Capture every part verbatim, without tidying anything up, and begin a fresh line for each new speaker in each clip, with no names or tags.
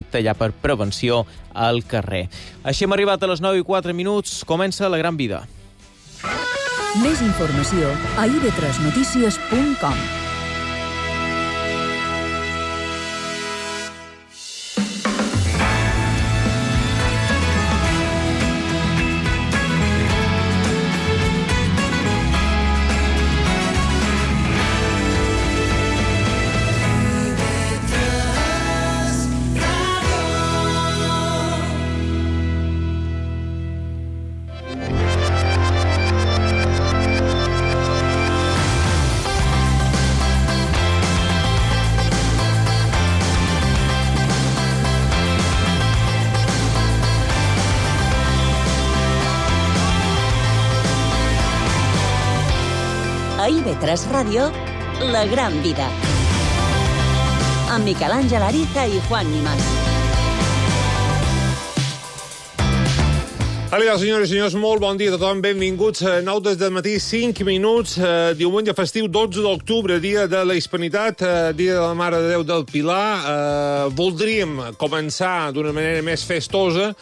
estricta ja per prevenció al carrer. Així hem arribat a les nou i quatre minuts. Comença La Gran Vida.
Més informació a i ve tres notícies punt com.
A i ve tres Ràdio, La Gran Vida. Amb Miquel Àngel Ariza i Juan Nimas.
Hola, senyores i senyors, molt bon dia a tothom. Benvinguts a nou des del matí, cinc minuts, eh, diumenge festiu, dotze d'octubre, dia de la Hispanitat, eh, dia de la Mare de Déu del Pilar. Eh, voldríem començar d'una manera més festosa,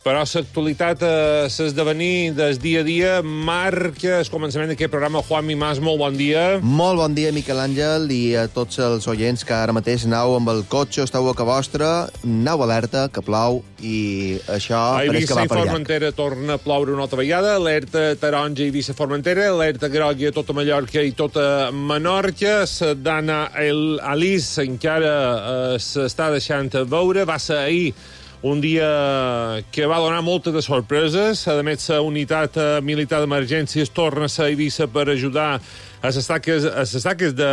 però l'actualitat, eh, l'esdevenir del dia a dia, marca el començament d'aquest programa. Juan Mimàs, molt bon dia.
Molt bon dia, Miquel Àngel, i a tots els oients que ara mateix aneu amb el cotxe, esteu a casa vostra, aneu alerta, que plou, i això
a
pareix que va per
llarg. A Eivissa i Formentera torna a ploure una altra vegada, alerta taronja a Eivissa i Formentera, alerta groga a tota Mallorca i tota Menorca, la Dana Alice encara eh, s'està deixant veure, va ser ahir un dia que va donar moltes de sorpreses. A més, la unitat militar d'emergències torna a ser a Eivissa per ajudar a les taques, a les taques de,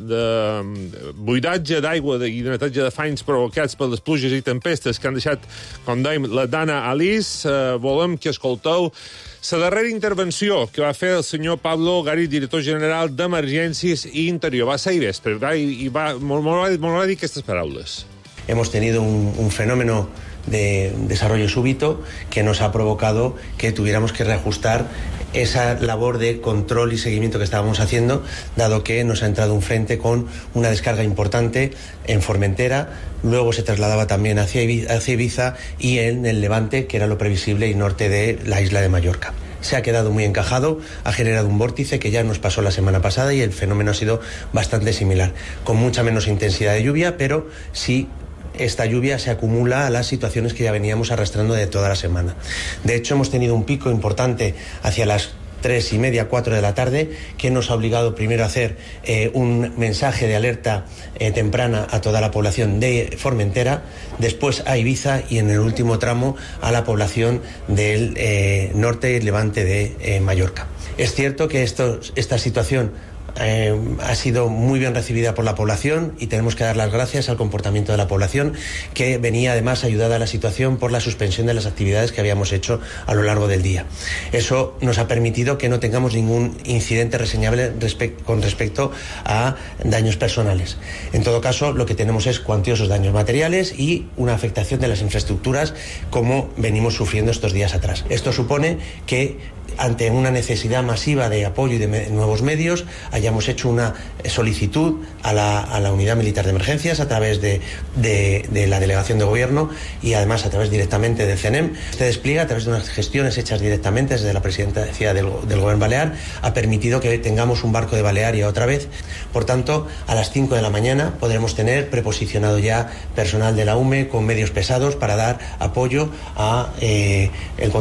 de buidatge d'aigua i de neteja de fanys provocats per les pluges i tempestes que han deixat, com dèiem, la Dana Alice. Eh, volem que escolteu la darrera intervenció que va fer el senyor Pablo Gari, director general d'Emergències i Interior. Va ser ahir vespre, i va, molt va dir aquestes paraules.
Hemos tenido un, un fenómeno de desarrollo súbito que nos ha provocado que tuviéramos que reajustar esa labor de control y seguimiento que estábamos haciendo, dado que nos ha entrado un frente con una descarga importante en Formentera, luego se trasladaba también hacia Ibiza, hacia Ibiza y en el Levante, que era lo previsible, y norte de la isla de Mallorca. Se ha quedado muy encajado, ha generado un vórtice que ya nos pasó la semana pasada y el fenómeno ha sido bastante similar, con mucha menos intensidad de lluvia, pero sí esta lluvia se acumula a las situaciones que ya veníamos arrastrando de toda la semana. De hecho, hemos tenido un pico importante hacia las tres y media, cuatro de la tarde, que nos ha obligado primero a hacer eh, un mensaje de alerta eh, temprana a toda la población de Formentera, después a Ibiza y en el último tramo a la población del eh, norte y levante de eh, Mallorca. Es cierto que esto, esta situación Eh, ha sido muy bien recibida por la población y tenemos que dar las gracias al comportamiento de la población, que venía además ayudada a la situación por la suspensión de las actividades que habíamos hecho a lo largo del día. Eso nos ha permitido que no tengamos ningún incidente reseñable respe- con respecto a daños personales. En todo caso, lo que tenemos es cuantiosos daños materiales y una afectación de las infraestructuras como venimos sufriendo estos días atrás. Esto supone que ante una necesidad masiva de apoyo y de me- nuevos medios, hayamos hecho una solicitud a la, a la Unidad Militar de Emergencias a través de, de, de la Delegación de Gobierno y además a través directamente del C N E M. Este despliegue, a través de unas gestiones hechas directamente desde la Presidencia del, del Gobierno Balear, ha permitido que tengamos un barco de Balearia otra vez. Por tanto, a las cinco de la mañana podremos tener preposicionado ya personal de la U M E con medios pesados para dar apoyo a eh, el,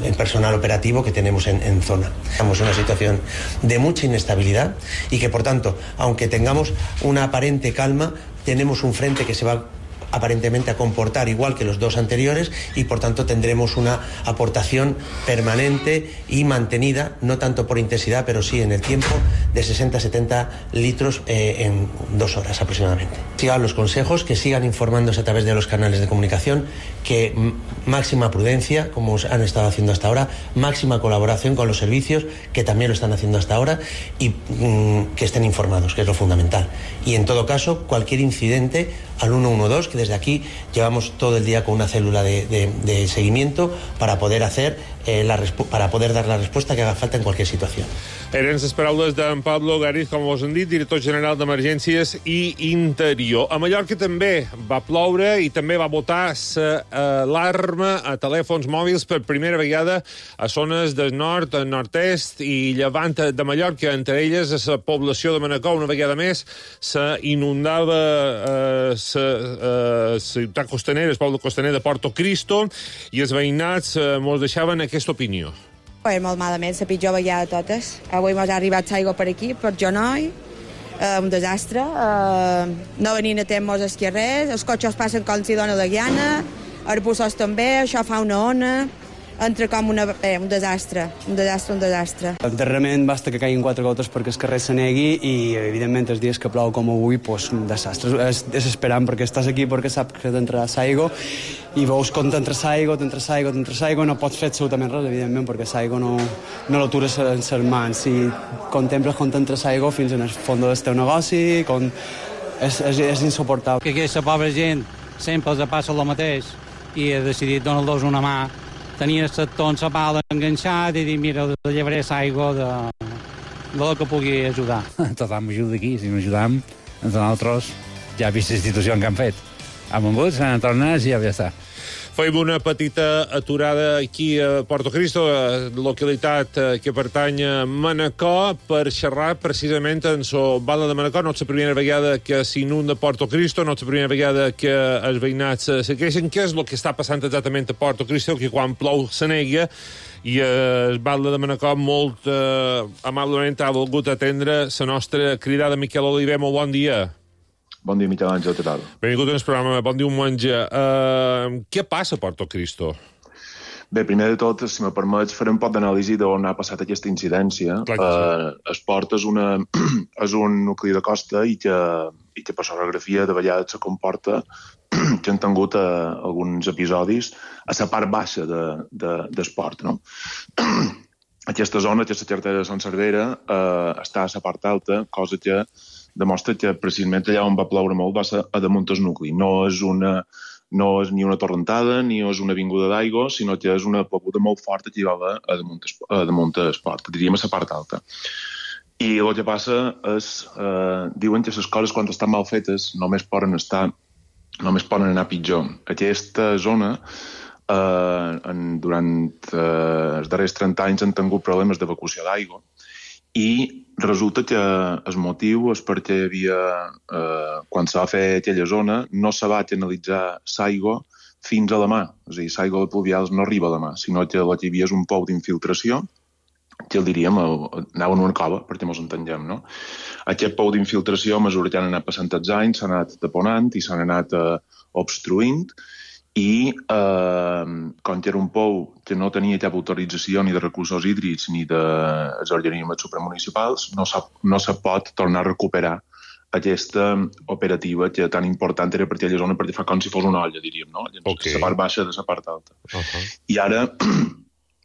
el personal operativo que tenemos En, en zona. Estamos en una situación de mucha inestabilidad y que, por tanto, aunque tengamos una aparente calma, tenemos un frente que se va aparentemente a comportar igual que los dos anteriores y por tanto tendremos una aportación permanente y mantenida, no tanto por intensidad pero sí en el tiempo, de sesenta a setenta litros eh, en dos horas aproximadamente. Sigan los consejos, que sigan informándose a través de los canales de comunicación, que m- máxima prudencia, como han estado haciendo hasta ahora, máxima colaboración con los servicios, que también lo están haciendo hasta ahora, y mm, que estén informados, que es lo fundamental. Y en todo caso, cualquier incidente al uno uno dos, que desde aquí llevamos todo el día con una célula de, de, de seguimiento para poder hacer eh, la para poder dar la respuesta que haga falta en cualquier situación.
Eren les paraules d'en Pablo Gariz, com us hem dit, director general d'Emergències i Interior. A Mallorca també va ploure i també va botar l'alarma a telèfons mòbils per primera vegada a zones del nord, nord-est i llevant de Mallorca, entre elles a la població de Manacor. Una vegada més s'inundava la eh, ciutat costanera, el poble costaner de Porto Cristo, i els veïnats eh, mos deixaven aquesta opinió.
És molt malament, la pitjor vegada de totes. Avui m'ha arribat l'aigua per aquí, per Jonoi, eh, un desastre. Eh, no venint a temps els carrers, els cotxes passen com si dona la gana, els bussos també, això fa una ona, entra com una, eh, un desastre, un desastre, un desastre.
Darrerament basta que caiguin quatre gotes perquè el carrer se negui i, evidentment, els dies que plou com avui, pues, un desastre. És desesperant perquè estàs aquí perquè saps que t'entrarà l'aigua i veus com t'entra l'aigua, t'entra l'aigua, t'entra l'aigua, no pots fer absolutament res, evidentment, perquè l'aigua no, no l'atures en les mans. I contemples com t'entra l'aigua fins en el fons del teu negoci, com... és, és, és insuportable.
Que aquesta pobra gent sempre els passa el mateix i he decidit donar-los una mà. Tenia el sector en la pala enganxat i dir, mira, llevaré l'aigua de, de lo que pugui ajudar.
Tothom ajuda aquí, si no ajudam, nosaltres ja he vist la institució que han fet. Han vengut, s'han tornat i ja està.
Fem una petita aturada aquí a Porto Cristo, localitat que pertany a Manacor, per xerrar precisament en la bala de Manacor. No és la primera vegada que s'inunda Porto Cristo, no és la primera vegada que els veïnats se queixen. Què és el que està passant exactament a Porto Cristo, que quan plou se nega, i el Batlle de Manacor molt eh, amablement ha volgut atendre la nostra cridada. Miquel Oliver, molt bon dia.
Bon dia, Miquel Àngel, què tal?
Benvingut al programa, bon diumenge. Uh, què passa a Porto Cristo?
Bé, primer de tot, si me permets, faré un poc d'anàlisi d'on ha passat aquesta incidència.
Clar que sí.
Uh, el port és, una, és un nucli de costa i que, i que per l'orografia de vegades se comporta que han tingut uh, alguns episodis a la part baixa de, de, del port, no? Aquesta zona, aquesta carretera de Sant Cervera, uh, està a la part alta, cosa que demostra que precisament allà on va ploure molt va ser a damunt del nucli. No és, una, no és ni una torrentada ni és una vinguda d'aigua, sinó que és una ploguda molt forta que hi va haver a damunt, a damunt del port, diríem a la part alta. I el que passa és, eh, diuen que les coses quan estan mal fetes només poden estar, només poden anar pitjor. Aquesta zona, eh, en, durant eh, els darrers trenta anys han tingut problemes d'evacuació d'aigua, i resulta que el motiu és perquè hi havia, eh, quan se va fer aquella zona, no se va canalitzar l'aigua fins a la mà. És a dir, l'aigua pluvial no arriba a la mà, sinó que el que hi havia és un pou d'infiltració, que el diríem, anava en una cova, perquè ens entenguem, no? Aquest pou d'infiltració, a mesura que han anat passant els anys, s'ha anat taponant i s'han anat eh, obstruint, i eh, com que era un pou que no tenia cap autorització ni de recursos hídrics ni dels organismes supramunicipals, no, no se pot tornar a recuperar aquesta operativa que tan important era per aquella zona, perquè fa com si fos una olla, diríem, no? Okay. La part baixa de la part alta. Uh-huh. I ara,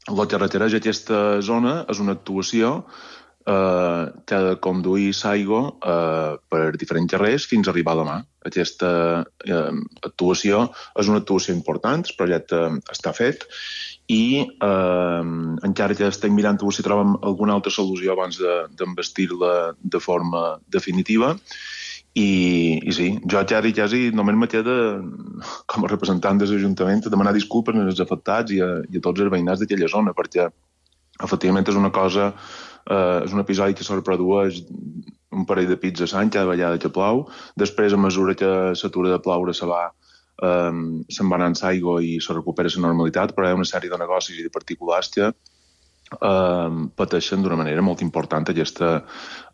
el que requereix aquesta zona és una actuació eh, que ha de conduir l'aigua eh, per diferents carrers fins a arribar a la mà. Aquesta eh, actuació és una actuació important, el projecte està fet, i eh, encara que estem mirant si trobem alguna altra solució abans d'envestir-la de, de forma definitiva. I, i sí, jo quasi, quasi només me queda, com a representant de l'Ajuntament, demanar disculpes als afectats i a, i a tots els veïnats d'aquella zona, perquè efectivament és una cosa, eh, és un episodi que se reprodueix un parell de pits a l'any cada vegada que plou. Després, a mesura que s'atura de ploure, se va, eh, se'n va anant l'aigua i se recupera la normalitat, però hi ha una sèrie de negocis i de particulars que eh, pateixen d'una manera molt important aquesta,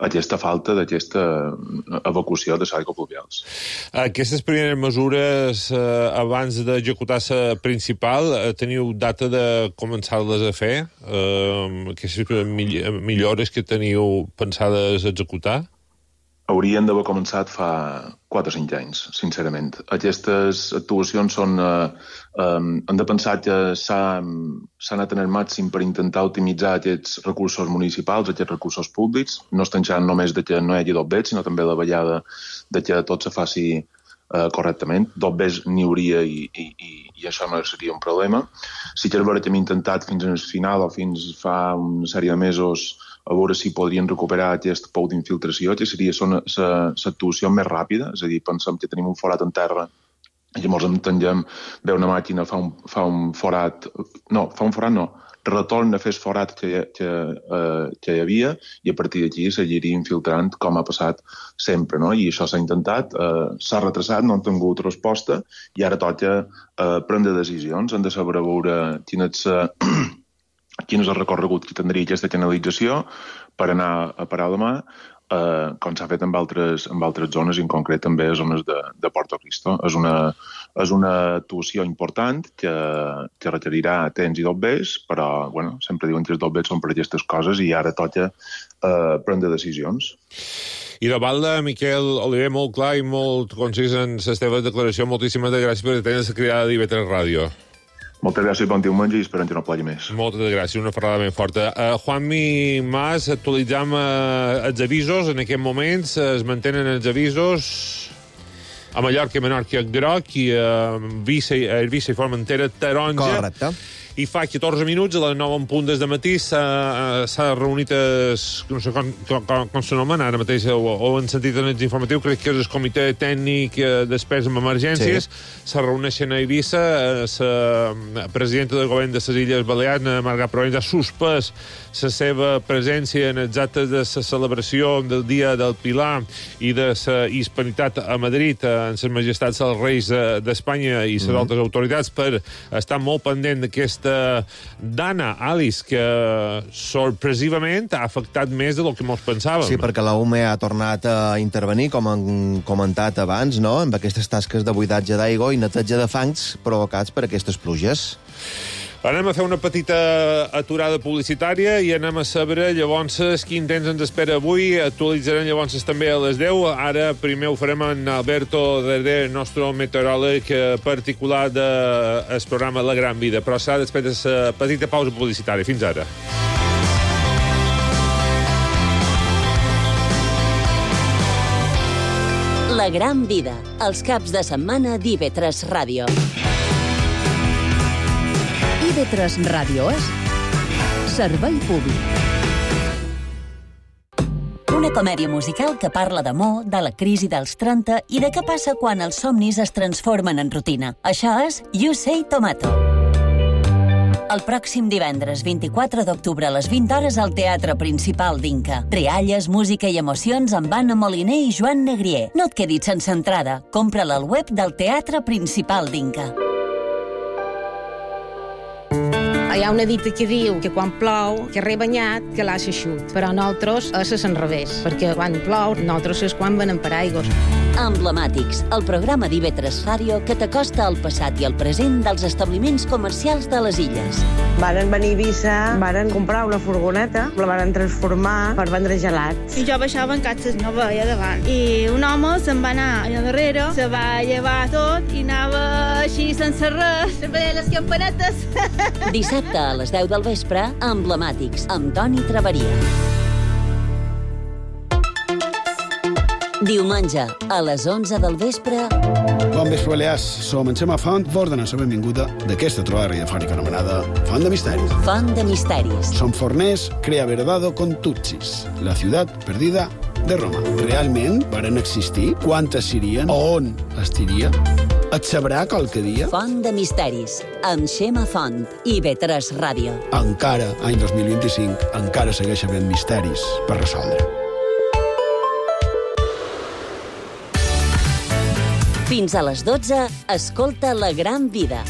aquesta falta d'aquesta evacuació de l'aigua pluvials.
Aquestes primeres mesures, eh, abans d'executar la principal, eh, teniu data de començar-les a fer? Eh, aquestes millores que teniu pensades executar?
Haurien d'haver començat fa quatre o cinc anys, sincerament. Aquestes actuacions són... Eh, eh, hem de pensar que s'ha anat en el màxim per intentar optimitzar aquests recursos municipals, aquests recursos públics. No estem xerrant només de que no hi hagi doblet, sinó també la vegada de que tot se faci eh, correctament. Dobbers n'hi hauria i, i, i, i això no seria un problema. Sí que és veritat que hem intentat fins al final o fins fa una sèrie de mesos a veure si podrien recuperar aquest pou d'infiltració, que seria l'actuació més ràpida, és a dir, pensem que tenim un forat en terra i llavors entenguem, ve una màquina, fa un, fa un forat, no, fa un forat no, retorna a fer el forat que, que, eh, que hi havia i a partir d'aquí seguiria infiltrant com ha passat sempre, no? I això s'ha intentat, eh, s'ha retrasat, no han tingut resposta i ara toca eh, prendre decisions, han de saber veure quin és, eh, quin és el recorregut que tindria aquesta canalització per anar a parar la mà, eh, com s'ha fet en altres, en altres zones, i en concret també a zones de, de Porto Cristo. És una, és una actuació important que, que requerirà temps i dobbers, però bueno, sempre diuen que els dobbers són per aquestes coses i ara toca eh, prendre decisions.
I de Valda, Miquel Oliver, molt clar i molt concís en la teva declaració. Moltíssimes gràcies per atendre la cridada d'I V tres Ràdio.
Moltes gràcies, bon diumenge i esperem que no plogui més.
Moltes gràcies, una ferrada ben forta. Uh, Juanmi Mas, actualitzam uh, els avisos en aquest moment. Es mantenen els avisos a Mallorca, Menorca, Groc i a uh, Eivissa i Formentera, taronja.
Correcte.
I fa catorze minuts, a les nou en punt des de matí, s'ha reunit, es, no sé com, com, com s'anomena ara mateix, o, o en sentit en informatiu, crec que és el comitè tècnic d'experts en emergències, sí. Se reuneixen a Eivissa, la presidenta del govern de les Illes Balears, Marga Provenç, ha suspès la seva presència en els actes de la celebració del Dia del Pilar i de la Hispanitat a Madrid, en les majestats dels reis d'Espanya i les mm. altres autoritats, per estar molt pendent d'aquest Dana, Alice, que sorpresivament ha afectat més del que molts pensàvem.
Sí, perquè la U M E ha tornat a intervenir, com han comentat abans, no?, amb aquestes tasques de buidatge d'aigua i neteja de fangs provocats per aquestes pluges.
Anem a fer una petita aturada publicitària i anem a saber llavors quin temps ens espera avui. Actualitzarem llavors també a les deu. Ara primer ho farem en Alberto Derder, el nostre meteoròleg particular del programa La Gran Vida. Però serà després de la petita pausa publicitària. Fins ara.
La Gran Vida, els caps de setmana d'I V tres Ràdio.
I V tres Ràdio és servei públic.
Una comèdia musical que parla d'amor, de la crisi dels trenta i de què passa quan els somnis es transformen en rutina. Això és You Say Tomato. El pròxim divendres vint-i-quatre d'octubre a les vint hores al Teatre Principal d'Inca. Rialles, música i emocions amb Anna Moliner i Joan Negrier. No et quedis sense entrada. Compra-la al web del Teatre Principal d'Inca.
Hi ha una dita que diu que quan plou, que re banyat, que l'ha eixut. Però nosaltres és al revés, perquè quan plou, nosaltres és quan venem paraigües.
Emblemàtics, el programa d'I V tres Ràdio que t'acosta al passat i al present dels establiments comercials de les illes.
Varen venir a Eivissa, varen comprar una furgoneta, la varen transformar per vendre gelats.
I jo baixava en catxes, no veia davant. I un home se'n va anar allà darrere, se va llevar tot i anava així sense res, se veia les campanetes.
Dissabte a les deu del vespre, Emblemàtics, amb Toni Traveria. Diumenge, a les onze del vespre...
Bon vespre, Balears. Som en Xema Font, vos donem la benvinguda d'aquesta trobada radiofònica anomenada Font de Misteris.
Font de Misteris.
Som forners, crea verdado con Tutsis, la ciutat perdida de Roma. Realment varen existir? Quantes serien? On estiria? Et sabrà qualque dia?
Font de Misteris, amb Xema Font, I V tres Ràdio.
Encara, any dos mil vint-i-cinc, encara segueix havent misteris per resoldre.
Fins a les dotze, escolta La Gran Vida.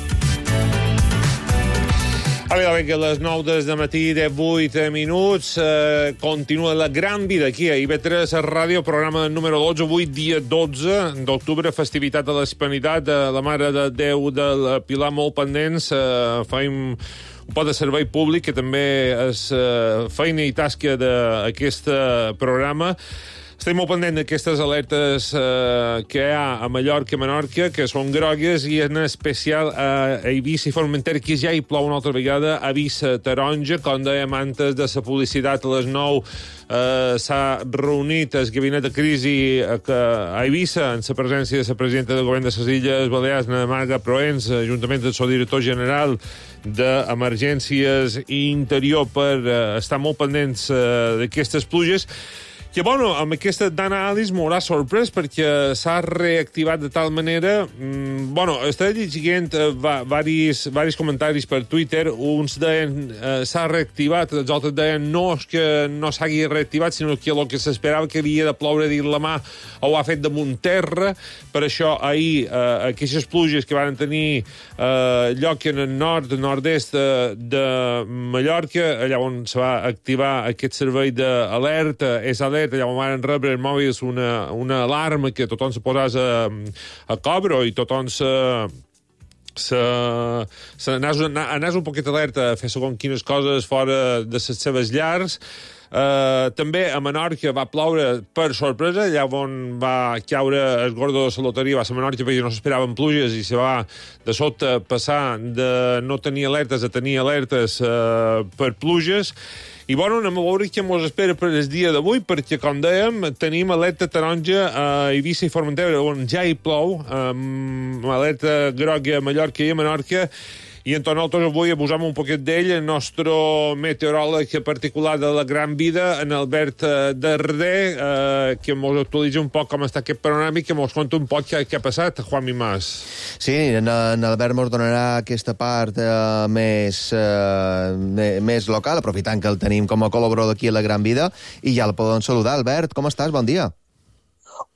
Ara bé, que a les nou des de matí, divuit minuts, eh, continua La Gran Vida aquí a I V tres Ràdio, programa número dotze, avui dia dotze d'octubre, festivitat de l'Hispanitat, de la Mare de Déu del Pilar, molt pendents, eh, faim un pot de servei públic, que també és eh, feina i tasca d'aquest programa. Estem molt pendents d'aquestes alertes eh, que hi ha a Mallorca i Menorca, que són grogues, i en especial a Eivissa i Formentera, que ja hi plou una altra vegada, avís taronja. Com dèiem antes de la publicitat a les nou, eh, s'ha reunit el gabinet de crisi a, a Eivissa, en la presència de la presidenta del govern de les Illes Balears, Ana Marga Proens, juntament del seu director general d'Emergències i Interior, per eh, estar molt pendents eh, d'aquestes pluges. Que, bueno, amb aquesta Dana Alice m'haurà sorprès perquè s'ha reactivat de tal manera... Mmm, bueno, estava llegint eh, varis, varis comentaris per Twitter. Uns deien eh, s'ha reactivat, els altres deien no és que no s'hagi reactivat, sinó que el que s'esperava que havia de ploure dins la mà ho ha fet damunt terra. Per això ahir eh, aquestes pluges que van tenir eh, lloc en el nord, nord-est de, de Mallorca, allà on se va activar aquest servei d'alerta, és alerta, allà on van rebre els mòbils una, una alarma que tothom se posàs a, a cobro i tothom se... se, se anàs, anàs un poquet alerta a fer segons quines coses fora de les seves llars. Uh, també a Menorca va ploure per sorpresa, allà on va caure el gordo de la loteria va ser a Menorca perquè no s'esperaven pluges i se va de sota passar de no tenir alertes a tenir alertes uh, per pluges. I, bueno, anem a veure què ens espera per el dia d'avui, perquè, com dèiem, tenim alerta taronja a Eivissa i Formentera, on ja hi plou, amb alerta groga a Mallorca i a Menorca, i en nosaltres avui abusam un poquet d'ell, el nostre meteoròleg particular de la Gran Vida, en Albert Darder, eh, que ens actualitza un poc com està aquest panorama i que ens conta un poc què, què ha passat, Juan Mimàs.
Sí, en, en Albert ens donarà aquesta part eh, més, eh, més local, aprofitant que el tenim com a col·laborador d'aquí a la Gran Vida, i ja el podem saludar. Albert, com estàs? Bon dia.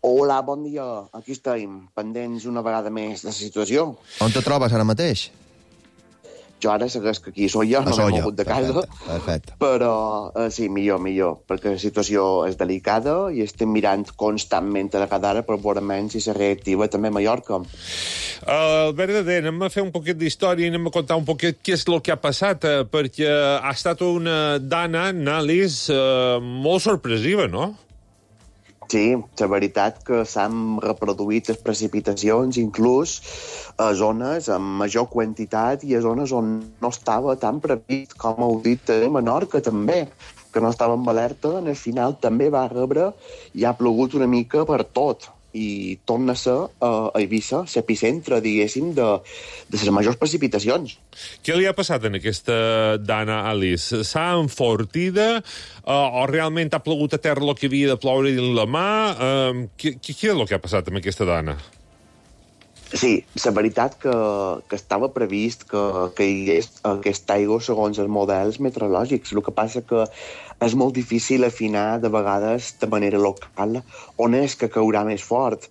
Hola, bon dia. Aquí estem, pendents una vegada més de la situació.
On te trobes ara mateix?
Jo ara segueix que aquí soy jo, no m'he mogut de casa,
perfecte, perfecte.
Però eh, sí, millor, millor, perquè la situació és delicada i estem mirant constantment a la cada hora per veure menys si se reactiva també a Mallorca.
Uh, Albert Darder, anem a fer un poquet d'història i anem a contar un poquet què és el que ha passat, eh, perquè ha estat una Dana Alice eh, molt sorpresiva, no?
Sí, la veritat que s'han reproduït les precipitacions inclús a zones amb major quantitat i a zones on no estava tan previst, com heu dit a Menorca també, que no estava en alerta, en el final també va rebre i ha plogut una mica per tot. I torna a ser uh, a Eivissa l'epicentre, diguéssim, de, de les majors precipitacions.
Què li ha passat en aquesta Dana Alice? S'ha enfortida uh, o realment ha plogut a terra el que havia de ploure dins la mà? Uh, què, què és el que ha passat amb aquesta Dana?
Sí, la veritat que, que estava previst que, que hi hagués aquesta aigua segons els models meteorològics. El que passa que és molt difícil afinar de vegades de manera local on és que caurà més fort.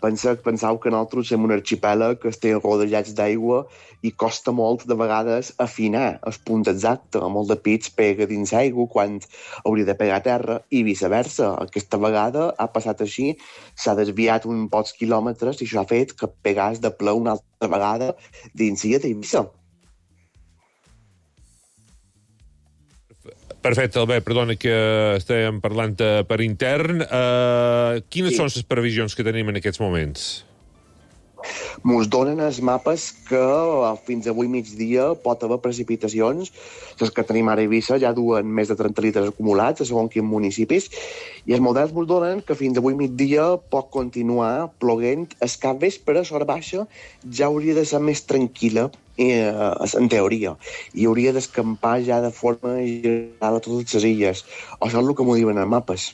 Pensa, pensau que nosaltres som un arxipèlag que estem rodejats d'aigua i costa molt de vegades afinar el punt exacte. Molt de pits pega dins aigua quan hauria de pegar a terra i viceversa. Aquesta vegada ha passat així, s'ha desviat uns pocs quilòmetres i això ha fet que pegàs de ple una altra vegada dins Illa d'Eivissa.
Perfecte, Albert, perdona que estem parlant per intern. Uh, quines sí. són les previsions que tenim en aquests moments?
Mos donen els mapes que fins avui migdia pot haver precipitacions. Les que tenim ara a Eivissa ja duen més de trenta litres acumulats a segons quins municipis, i els models mos donen que fins avui migdia pot continuar ploguent. El cap vespre, a l'hora baixa, ja hauria de ser més tranquil·la, eh, en teoria, i hauria d'escampar ja de forma general a totes les illes. Això és el que m'ho diuen els mapes.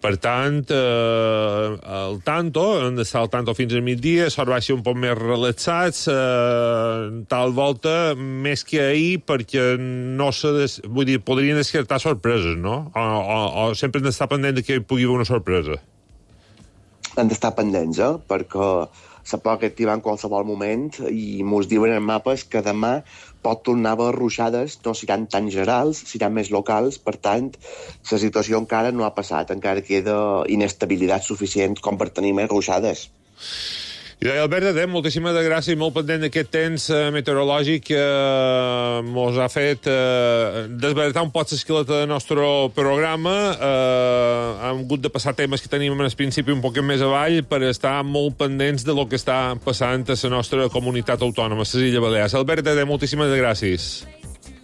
Per tant, eh, el tanto, hem d'estar al tanto fins al migdia, sort va ser un poc més relaxats, eh, tal volta, més que ahir, perquè no se des... vull dir, podrien descartar sorpreses, no? O, o, o sempre hem d'estar pendent que hi pugui haver una sorpresa?
Hem d'estar pendents, eh? Perquè se pot activar en qualsevol moment i mos diuen en mapes que demà pot tornar a haver ruixades, no seran tan generals, seran més locals, per tant, la situació encara no ha passat, encara queda inestabilitat suficient com per tenir més ruixades.
I deia Albert Adem, moltíssimes gràcies, molt pendent d'aquest temps eh, meteorològic que eh, mos ha fet eh, desbaratar un poc l'esqueleta del nostre programa. Eh, hem hagut de passar temes que tenim al principi un poc més avall per estar molt pendents de lo que està passant a la nostra comunitat autònoma, a les Illes Balears. Albert Adem, moltíssimes gràcies.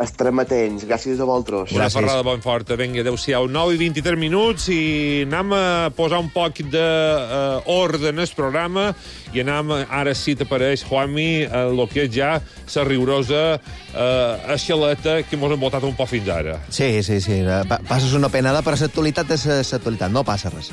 Estarem atents. Gràcies a vosaltres.
Una ferrada bon forta. Vinga, adéu-siau. nou i vint-i-tres minuts i anem a posar un poc d'ordre uh, en el programa i anem, ara sí t'apareix, Juanmi, uh, el que és ja la riurosa uh, esqueleta que mos hem votat un poc fins ara.
Sí, sí, sí. Pa passes una penada, però l'actualitat és l'actualitat. No passa res.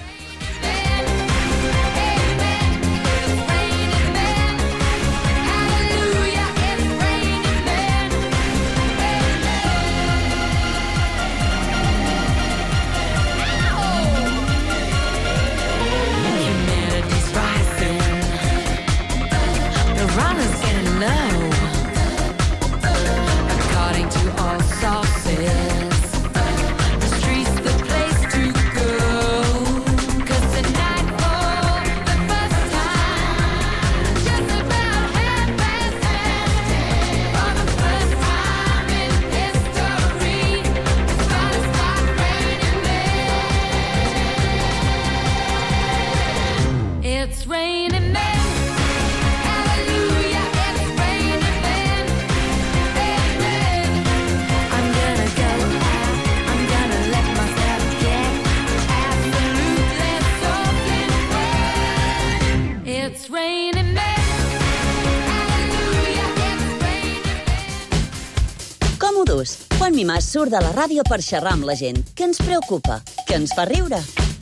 Juanmi Mas surt de la ràdio per xerrar amb la gent. Què ens preocupa? Què ens fa riure?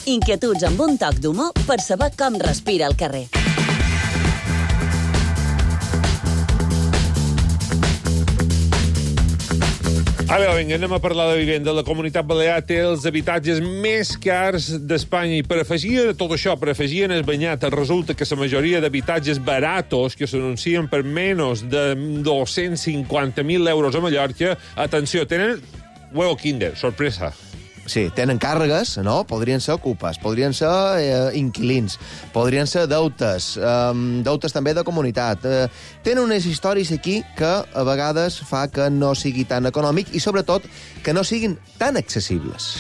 Inquietuds amb un toc d'humor per saber com respira el carrer.
Ara, vinga, anem a parlar de vivenda. La Comunitat Balear té els habitatges més cars d'Espanya i per afegir a tot això, per afegir en el banyat, resulta que la majoria d'habitatges baratos que s'anuncien per menys de dos-cents cinquanta mil euros a Mallorca, atenció, tenen huevo kinder, sorpresa.
Sí, tenen càrregues, no? Podrien ser ocupes, podrien ser eh, inquilins, podrien ser deutes, eh, deutes també de comunitat. Eh, tenen unes històries aquí que a vegades fa que no sigui tan econòmic i, sobretot, que no siguin tan accessibles.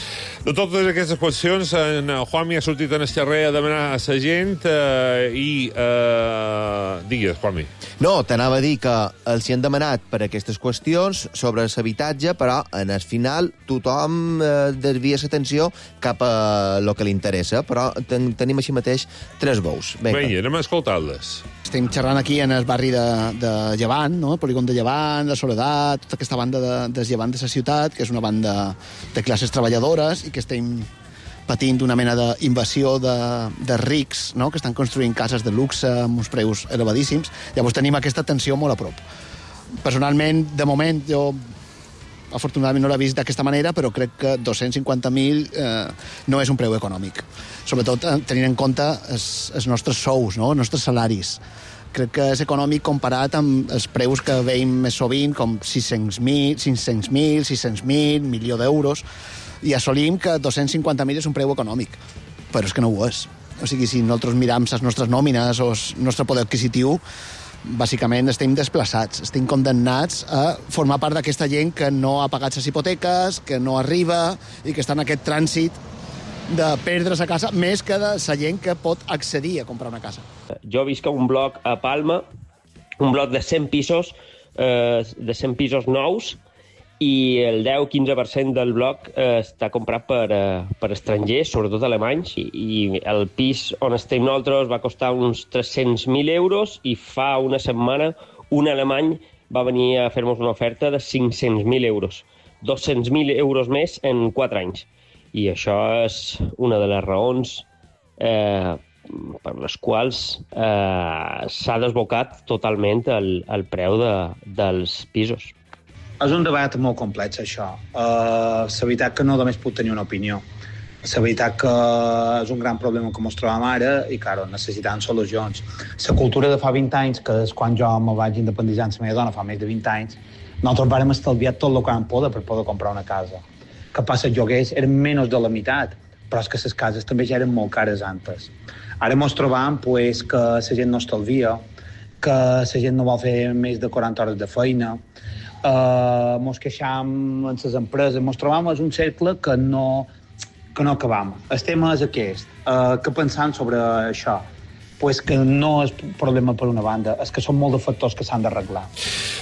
De totes aquestes qüestions, en Juanmi ha sortit en el carrer a demanar a la gent eh, i... Eh, digues, Juanmi.
No, t'anava a dir que els hi han demanat per aquestes qüestions sobre l'habitatge, però en el final tothom eh, desvia l'atenció cap a el que li interessa, però ten tenim així mateix tres bous.
Vinga, anem a escoltar-les.
Estem xerrant aquí en el barri de, de Llevant, no? El polígon de Llevant, de Soledat, tota aquesta banda de, de Llevant de la ciutat, que és una banda de classes treballadores i que estem patint una mena d'invasió de, de rics, no? Que estan construint cases de luxe amb uns preus elevadíssims. Llavors tenim aquesta tensió molt a prop. Personalment, de moment, jo afortunadament no l'he vist d'aquesta manera, però crec que dos-cents cinquanta mil eh, no és un preu econòmic. Sobretot eh, tenint en compte els, els nostres sous, no? Els nostres salaris. Crec que és econòmic comparat amb els preus que veiem més sovint, com sis-cents mil, cinc-cents mil, sis-cents mil, milió d'euros, i assolim que dos-cents cinquanta mil és un preu econòmic. Però és que no ho és. O sigui, si nosaltres miram les nostres nòmines o el nostre poder adquisitiu, bàsicament estem desplaçats, estem condemnats a formar part d'aquesta gent que no ha pagat les hipoteques, que no arriba i que està en aquest trànsit de perdre la casa, més que de la gent que pot accedir a comprar una casa.
Jo visc a un bloc a Palma, un bloc de cent pisos, eh, de cent pisos nous, i el deu a quinze per cent del bloc eh, està comprat per, eh, per estrangers, sobretot alemanys, i, i el pis on estem nosaltres va costar uns tres-cents mil euros i fa una setmana un alemany va venir a fer-nos una oferta de cinc-cents mil euros. dos-cents mil euros més en quatre anys. I això és una de les raons eh, per les quals eh, s'ha desbocat totalment el, el preu de, dels pisos.
És un debat molt complex, això. Uh, la veritat que no només puc tenir una opinió. La veritat que és un gran problema que ens trobem ara i, claro, necessitem solucions. La cultura de fa vint anys, que és quan jo me vaig independitzar amb la meva dona, fa més de vint anys, nosaltres vàrem estalviar tot el que vam poder per poder comprar una casa. Que passa, els lloguers eren menys de la meitat. però és que les cases també ja eren molt cares antes. Ara mos trobam pues, que la gent no estalvia, que la gent no vol fer més de quaranta hores de feina, uh, mos queixam en les empreses, mos trobam en un cercle que no, que no acabam. El tema és aquest, uh, que pensant sobre això, pues que no és problema per una banda, és que són molts de factors que s'han d'arreglar.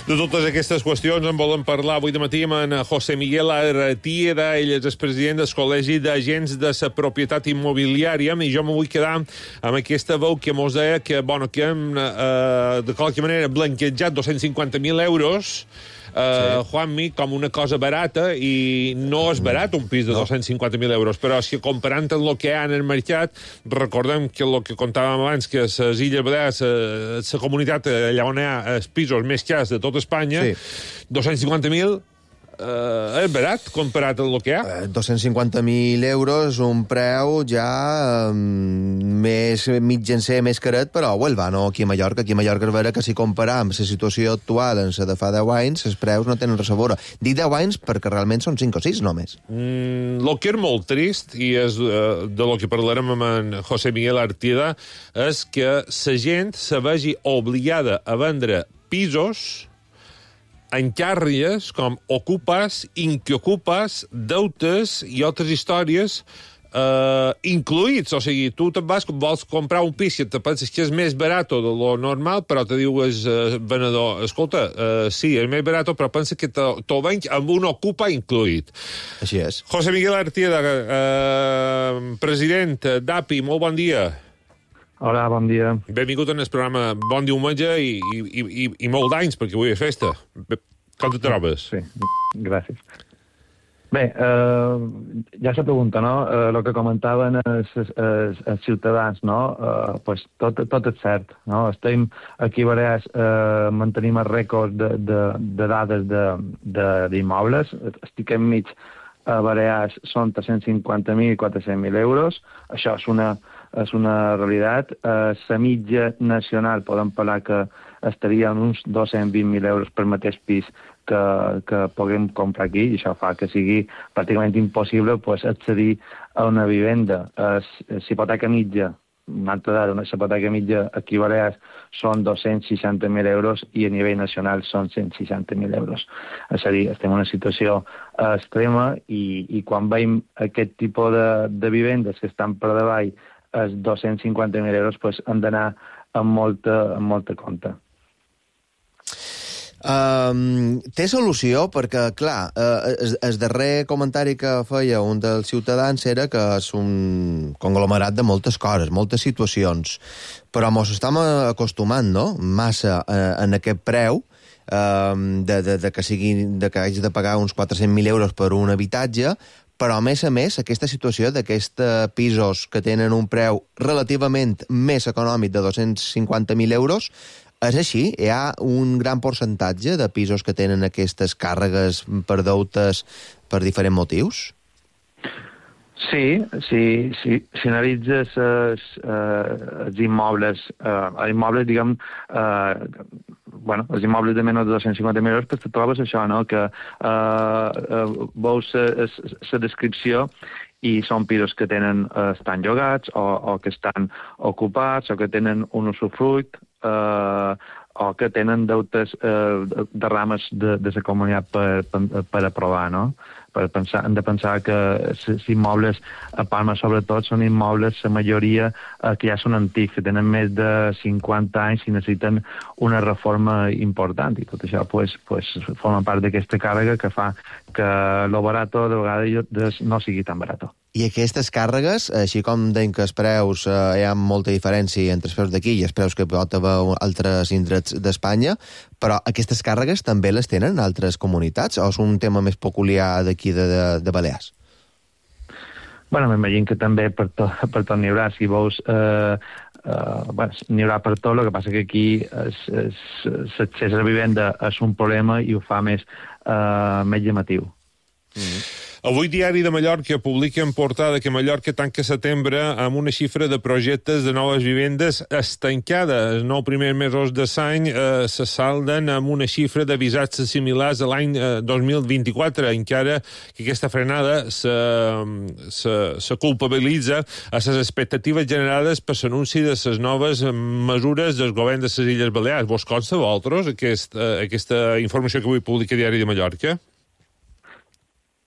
De totes aquestes qüestions en volen parlar avui de matí amb en José Miguel Artieda, ell és el president del Col·legi d'Agents de la Propietat Immobiliària, i jo me vull quedar amb aquesta veu que mos deia que, bueno, que hem, eh, de qualque manera, blanquejat dos-cents cinquanta mil euros, Uh, sí. Juanmi, com una cosa barata, i no és barat un pis de no. dos-cents cinquanta mil euros, però si comparant amb el que hi ha en el mercat, recordem que el que contàvem abans, que les Illes Balears, la comunitat allà on hi ha els pisos més cars de tot Espanya, sí. dos-cents cinquanta mil Uh, és barat comparat amb el que hi ha?
Uh, dos-cents cinquanta mil euros, un preu ja um, més mitjancer, més caret, però well, no aquí a Mallorca. Aquí a Mallorca és vera que si comparam la situació actual amb la de fa deu anys, els preus no tenen res a veure. Dic deu anys perquè realment són cinc o sis només.
Mm, el que és molt trist, i és uh, de lo que parlarem amb en José Miguel Artieda, és que la gent se vegi obligada a vendre pisos encàrregues com ocupes, inquiocupes, deutes i altres històries eh, incluïts. O sigui, tu te'n vas, vols comprar un pis i te penses que és més barat de lo normal, però te diu el eh, venedor, escolta, eh, sí, és més barat, però pensa que t'ho venc amb un ocupa incluït.
Així és.
José Miguel Artieda, eh, president d'A P I, molt bon dia.
Hola, bon dia.
Benvingut en el programa Bon Diumenge i, i, i, i molt d'anys, perquè avui és festa. Com te trobes?
Sí, gràcies. Bé, eh, ja se pregunta, no? Eh, el que comentaven els, els, els ciutadans, no? Eh, pues tot, tot és cert, no? Estem aquí a Balears, eh, mantenim el rècord de, de, de dades d'immobles. Estic enmig a Balears, són tres-cents cinquanta mil i quatre-cents mil euros. Això és una... és una realitat. La eh, mitja nacional podem parlar que estaria en uns dos-cents vint mil euros per mateix pis que, que puguem comprar aquí, i això fa que sigui pràcticament impossible pues, accedir a una vivenda. La hipoteca mitja, una altra dada, una hipoteca mitja aquí a Balears són dos-cents seixanta mil euros i a nivell nacional són cent seixanta mil euros. És a dir, estem en una situació extrema i, i quan veiem aquest tipus de, de vivendes que estan per davall els dos-cents cinquanta mil euros pues, han d'anar amb molta, amb molta compte.
Um, té solució? Perquè, clar, uh, el, el darrer comentari que feia un dels ciutadans era que és un conglomerat de moltes coses, moltes situacions, però mos estem acostumant, no?, massa uh, en aquest preu, uh, de, de, de, que sigui, de que hagi de pagar uns quatre-cents mil euros per un habitatge, però, a més a més, aquesta situació d'aquests pisos que tenen un preu relativament més econòmic de dos-cents cinquanta mil euros, és així? Hi ha un gran percentatge de pisos que tenen aquestes càrregues per deutes per diferents motius?
Sí, sí, sí. Si analitzes els, els immobles, eh, immobles, diguem, eh, bueno, els immobles de menys de dos-cents cinquanta mil euros, pues te trobes això, no?, que eh, eh, veus la descripció i són pisos que tenen, eh, estan llogats o, o que estan ocupats o que tenen un usufruit eh, o que tenen deutes eh, de rames de, de la comunitat per, per, per aprovar, no? Per pensar, hem de pensar que els immobles a Palma, sobretot, són immobles, la majoria, eh, que ja són antics, que tenen més de cinquanta anys i necessiten una reforma important. I tot això pues, pues, forma part d'aquesta càrrega que fa que lo barato de vegades no sigui tan barato.
I aquestes càrregues, així com deim que els preus, eh, hi ha molta diferència entre els preus d'aquí i els preus que pot haver altres indrets d'Espanya, però aquestes càrregues també les tenen altres comunitats o és un tema més peculiar d'aquí de, de, de Balears?
Bueno, m'imagino que també per tot, per tot n'hi haurà. Si veus, eh, eh, bueno, n'hi haurà per tot, el que passa que aquí l'accés a la vivenda és un problema i ho fa més, eh, més llamatiu.
Mm-hmm. Avui Diari de Mallorca publica en portada que Mallorca tanca setembre amb una xifra de projectes de noves vivendes estancada. Els nou primers mesos de l'any eh, se salden amb una xifra de visats similars a l'any eh, dos mil vint-i-quatre, encara que aquesta frenada se, se, se culpabilitza a les expectatives generades per l'anunci de les noves mesures del govern de les Illes Balears. Vos consta a vosaltres aquest, eh, aquesta informació que avui publica Diari de Mallorca?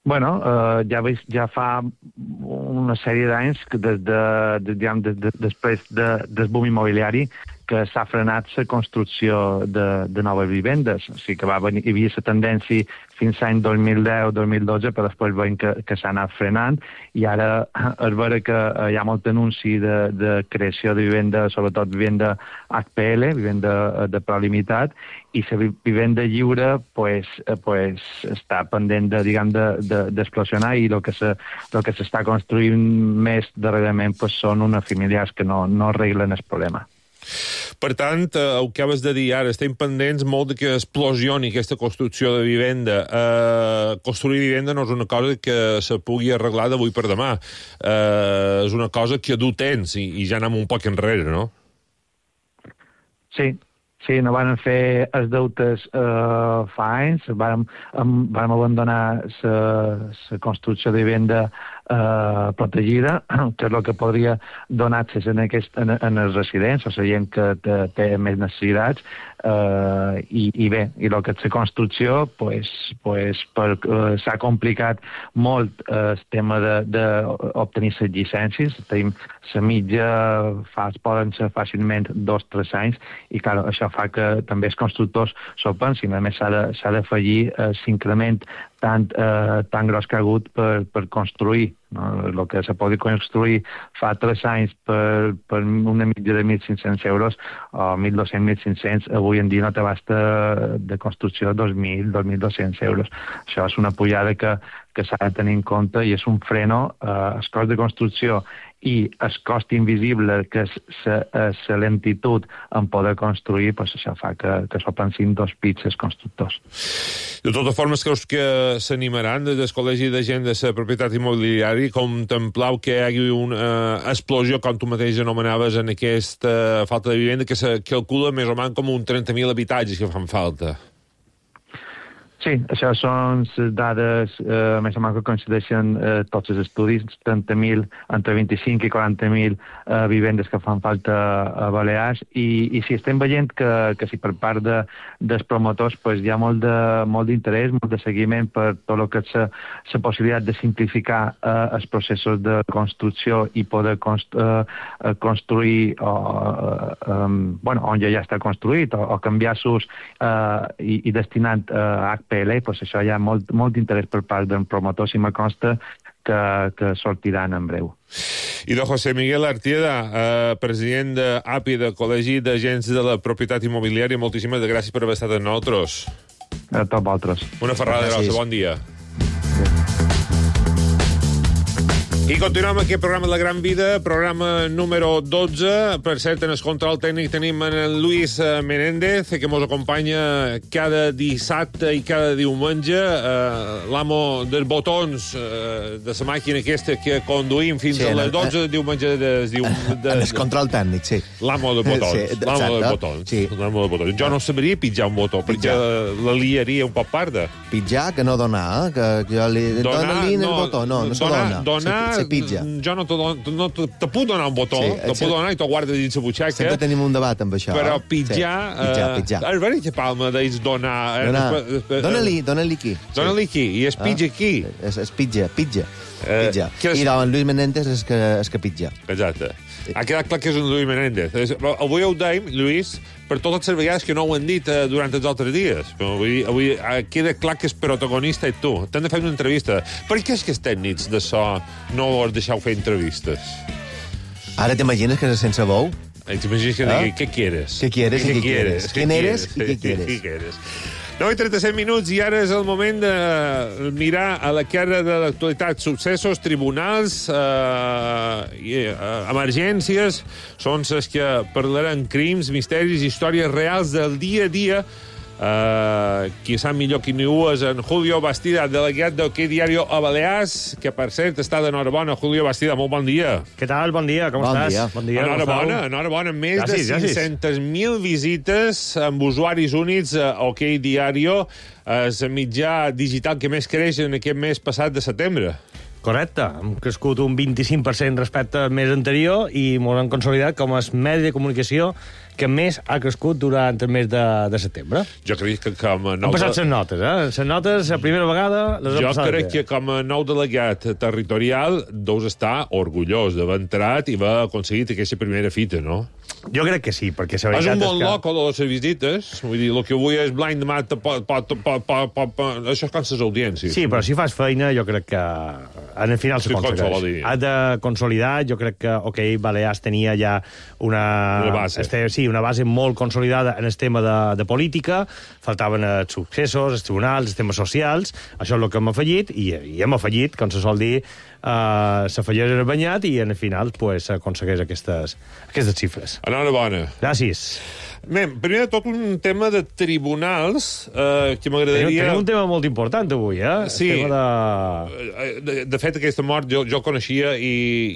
Bueno, eh, ja, veig, ja fa una sèrie d'anys que des de, de, diguem, de, de, després de, del boom immobiliari que s'ha frenat la construcció de, de noves vivendes. O sigui que va venir, hi havia la tendència fins l'any dos mil deu dos mil dotze, però després veiem que, que s'ha anat frenant, i ara és vera que hi ha molt anunci de, de creació de vivenda, sobretot vivenda H P L, vivenda de preu limitat, i la vivenda lliure pues, pues, està pendent de, diguem, de, de, d'explosionar, i el que se, el que s'està construint més darrerament pues, són unes familiars que no, no arreglen el problema.
Per tant, eh, el que acabes de dir ara, estem pendents molt de que explosioni aquesta construcció de vivenda. Eh, construir vivenda no és una cosa que se pugui arreglar d'avui per demà. Eh, és una cosa que du temps, i, i ja anem un poc enrere, no?
Sí, sí, no van fer els deutes eh, fa anys, vam, vam abandonar la construcció de vivenda eh, protegida, que és el que podria donar-se en, aquest, en, en els residents, o la gent que té, té més necessitats, eh, i, i bé, i el que és la construcció, pues, pues, per, eh, s'ha complicat molt eh, el tema d'obtenir les llicències. Tenim la mitja, fa, poden ser fàcilment dos o tres anys, i clar, això fa que també els constructors s'ho pensin. A més, s'ha d'afegir eh, l'increment tan, eh, tan gros que ha hagut per, per construir. No? El que se pot construir fa tres anys per, per una mitja de mil cinc-cents euros o mil dos-cents, mil cinc-cents, avui en dia no t'abasta de construcció dos mil, dos mil dos-cents euros. Això és una pujada que, que s'ha de tenir en compte, i és un freno. Eh, el cost de construcció i el cost invisible, que és la lentitud en poder construir, pues això fa que, que s'ho pensin dos pits els constructors.
De totes formes, creus que s'animaran des del Col·legi de Gent de la Propietat Immobiliària contemplau que hi hagi una eh, explosió, com tu mateix anomenaves, en aquesta eh, falta de vivenda, que se calcula més o menys com un trenta mil habitatges que fan falta?
Sí, això són les dades eh, més o menys que coincideixen eh, tots els estudis, trenta mil, entre vint-i-cinc i quaranta mil eh, vivendes que fan falta a Balears, i, i sí, estem veient que, que sí, per part de, dels promotors pues, hi ha molt de, molt d'interès, molt de seguiment per tot el que és la possibilitat de simplificar eh, els processos de construcció i poder const, eh, construir o, eh, um, bueno, on ja, ja està construït, o, o canviar-los eh, i, i destinant eh, a H P L, pues això hi ha molt, molt interès per part del promotor, si me consta que, que sortiran en breu.
I de José Miguel Artieda, eh, president d'A P I, del Col·legi d'Agents de la Propietat Immobiliària, moltíssimes gràcies per haver estat amb nosaltres.
A tots vosaltres.
Una ferrada grossa, bon dia. I continuem aquest programa de La Gran Vida, programa número dotze. Per cert, en el control tècnic tenim en el Luis Menéndez, que ens acompanya cada dissabte i cada diumenge, eh, l'amo dels botons eh, de la màquina aquesta que conduïm fins sí, a les dotze de diumenge. De, de, de,
en el control tècnic, sí.
L'amo dels botons. Sí, l'amo dels botons. Sí. L'amo dels botons. Jo no sabria pitjar un botó, pitjar. perquè la liaria un poc parda.
Pitjar, que no donar, eh? que jo li... Dona-li no, el botó, no, no se dona.
Donar, se, se pitja. Jo no te, no te, te puc donar un botó, sí, te puc donar i t'ho guarda dins la butxaca.
Sempre tenim un debat amb això.
Però pitjar...
Sí. Pitjar, pitjar.
És veritat que Palma deis donar...
donar. Dóna-li, dóna-li aquí.
Dóna-li aquí, i es pitja aquí.
Es, es pitja, pitja. pitja. Eh, I doncs Luis Menéndez és que, és que pitja.
Exacte. Ha quedat clar que és un Luis Menéndez. Avui ho deim, Lluís, per totes les vegades que no ho han dit eh, durant els altres dies. Avui, avui queda clar que el protagonista és tu. T'han de fer una entrevista. Per què és que els tècnics de so no us deixeu fer entrevistes?
Ara t'imagines que és sense bou?
T'imagines que digui, què quieres?
Què quieres i què quieres? Quin eres i què quieres?
Què quieres? nou i trenta-set minuts, i ara és el moment de mirar a la cara de l'actualitat. Successos, tribunals, eh, i, eh, emergències, són les que parlaran crims, misteris, històries reals del dia a dia. Eh, Uh, qui sap millor qui ni ho és en Julio Bastida, delegat d'Ok Diario a Balears, que, per cert, està d'enhorabona. Julio Bastida, molt bon dia.
Què tal? Bon dia, com
Bon
estàs?
dia.
Bon dia.
Enhorabona, enhorabona. Més
Gràcies,
de cinc-centes mil visites amb usuaris únics a OK Diario, és el mitjà digital que més creix en aquest mes passat de setembre.
Correcte. Hem crescut un vint-i-cinc per cent respecte al mes anterior i ens hem consolidat com a medi de comunicació que més ha crescut durant el mes de, de setembre.
Jo crec que com a nou...
Han passat les notes, eh? Les notes, la primera vegada, les
Jo
han passat.
crec que com a nou delegat territorial deus estar orgullós d'haver entrat i haver aconseguit aquesta primera fita, no?
Jo crec que sí, perquè la
És
veritat
un bon
és que...
loco de les visites. Vull dir, el que avui és blind demà pot, pot, pot, pot, pot, pot, això és com les audiències.
Sí, però si fas feina, jo crec que en el final
Sí,
s'aconsegueix. Ha de consolidar, jo crec que, ok, Balears tenia ja una...
Una base.
Este, sí, una base molt consolidada en el tema de, de política, faltaven els successos, els tribunals, els temes socials, això és el que hem afegit, i, i hem afegit, com se sol dir, uh, s'afegeix en el banyat i en el final pues, s'aconsegueix aquestes, aquestes xifres.
Enhorabona.
Gràcies.
Bé, primer de tot un tema de tribunals eh, que m'agradaria...
Tenim, tenim un tema molt important avui, eh?
Sí.
El tema de...
De, de fet, aquesta mort jo, jo coneixia i,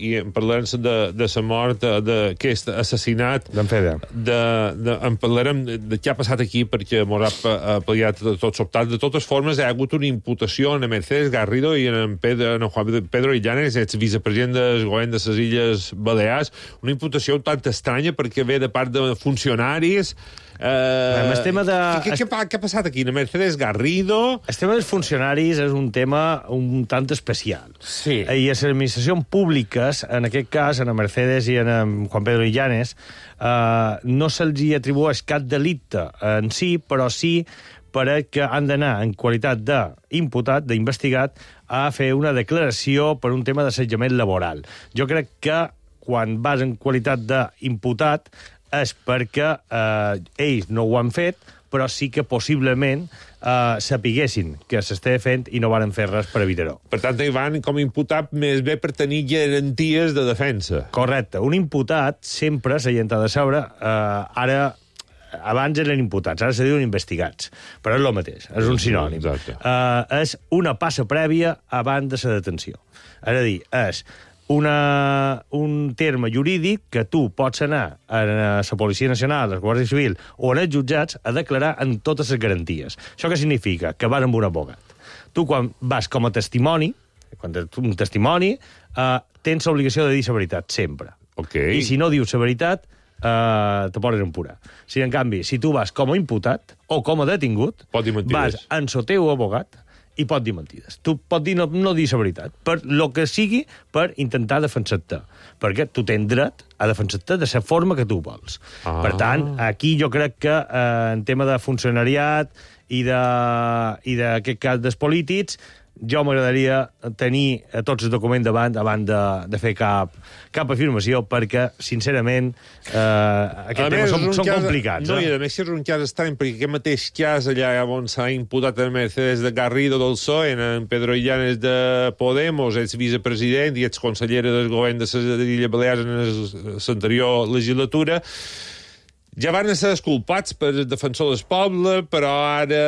i en parlarem de, de la mort, d'aquest assassinat...
D'en Fede.
De, de, en parlarem de, de què ha passat aquí, perquè m'haurà apel·liat de tot sobtat. De totes formes, hi ha hagut una imputació en Mercedes Garrido i en Pedro, en Juan Pedro Illanes, ex vicepresident del govern de les Illes Balears. Una imputació tant estranya perquè ve de part de funcionaris. Eh,
el tema de...
Què, què, què ha passat aquí? La Mercedes Garrido...
El tema dels funcionaris és un tema un tant especial.
Sí.
I a les administracions públiques, en aquest cas, en la Mercedes i en Juan Pedro Illanes, eh, no se'ls atribueix cap delicte en si, però sí perquè han d'anar en qualitat d'imputat, d'investigat, a fer una declaració per un tema d'assetjament laboral. Jo crec que quan vas en qualitat d'imputat és perquè eh, ells no ho han fet, però sí que possiblement eh, sapiguessin que s'estava fent i no van fer res per evitar-ho.
Per tant, hi van com imputat més bé per tenir garanties de defensa.
Correcte. Un imputat sempre s'ha de saber... Eh, ara, abans eren imputats, ara se diuen investigats. Però és el mateix, és un sinònim.
Exacte.
Eh, és una passa prèvia abans de la detenció. És a dir, és... Una, un terme jurídic que tu pots anar a la Policia Nacional, a la Guàrdia Civil o en els jutjats a declarar en totes les garanties. Això què significa? Que vas amb un abogat. Tu, quan vas com a testimoni, quan tens un testimoni, eh, tens l'obligació de dir la veritat, sempre.
Okay.
I si no dius la veritat, eh, te poden empurar. Si, en canvi, si tu vas com a imputat o com a detingut, vas en el teu abogat, i pot dir mentides. Tu pot dir no, no dir la veritat, per lo que sigui, per intentar defensar-te. Perquè tu tens dret a defensar-te de la forma que tu vols.
Ah.
Per tant, aquí jo crec que eh, en tema de funcionariat i de, i d'aquest cas dels polítics, jo m'agradaria tenir tots els documents davant abans de, de fer cap, cap afirmació, perquè, sincerament, eh, aquests temes són, són cas, complicats.
No,
eh?
i a més és un cas estrany, perquè aquest mateix cas allà on s'ha imputat en Mercedes de Garrido del P S O E, en Pedro Illanes de Podemos, ex vicepresident i ex consellera del govern de les Illes Balears en l'anterior legislatura, ja van ser esculpats per defensor del poble, però ara...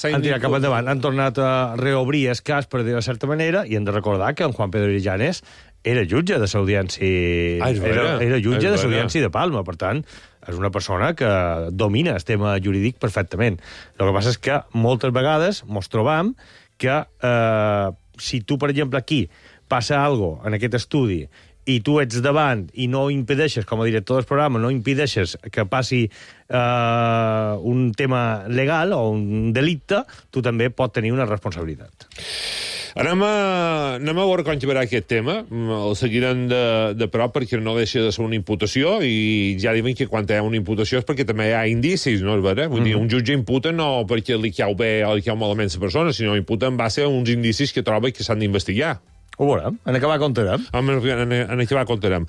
Han tirat cap endavant, han tornat a reobrir el cas, per dir-ho de certa manera, i hem de recordar que en Juan Pedro Illanes era jutge de l'audiència...
Ah,
era, era jutge de l'audiència de Palma, per tant, és una persona que domina el tema jurídic perfectament. El que passa és que moltes vegades mos trobam que eh, si tu, per exemple, aquí passa alguna cosa en aquest estudi i tu ets davant i no impedeixes, com a director del programa, no impedeixes que passi eh, un tema legal o un delicte, tu també pots tenir una responsabilitat.
Anem a, anem a veure com acabarà aquest tema. El seguirem de, de prop perquè no deixa de ser una imputació i ja diuen que quan hi ha una imputació és perquè també hi ha indicis, no és vera? Vull mm-hmm. dir, un jutge imputa no perquè li cau bé o li cau malament la persona, sinó imputa en base a uns indicis que troba que s'han d'investigar.
Ho veurem. En acabar contarem.
En, en, en acabar contarem.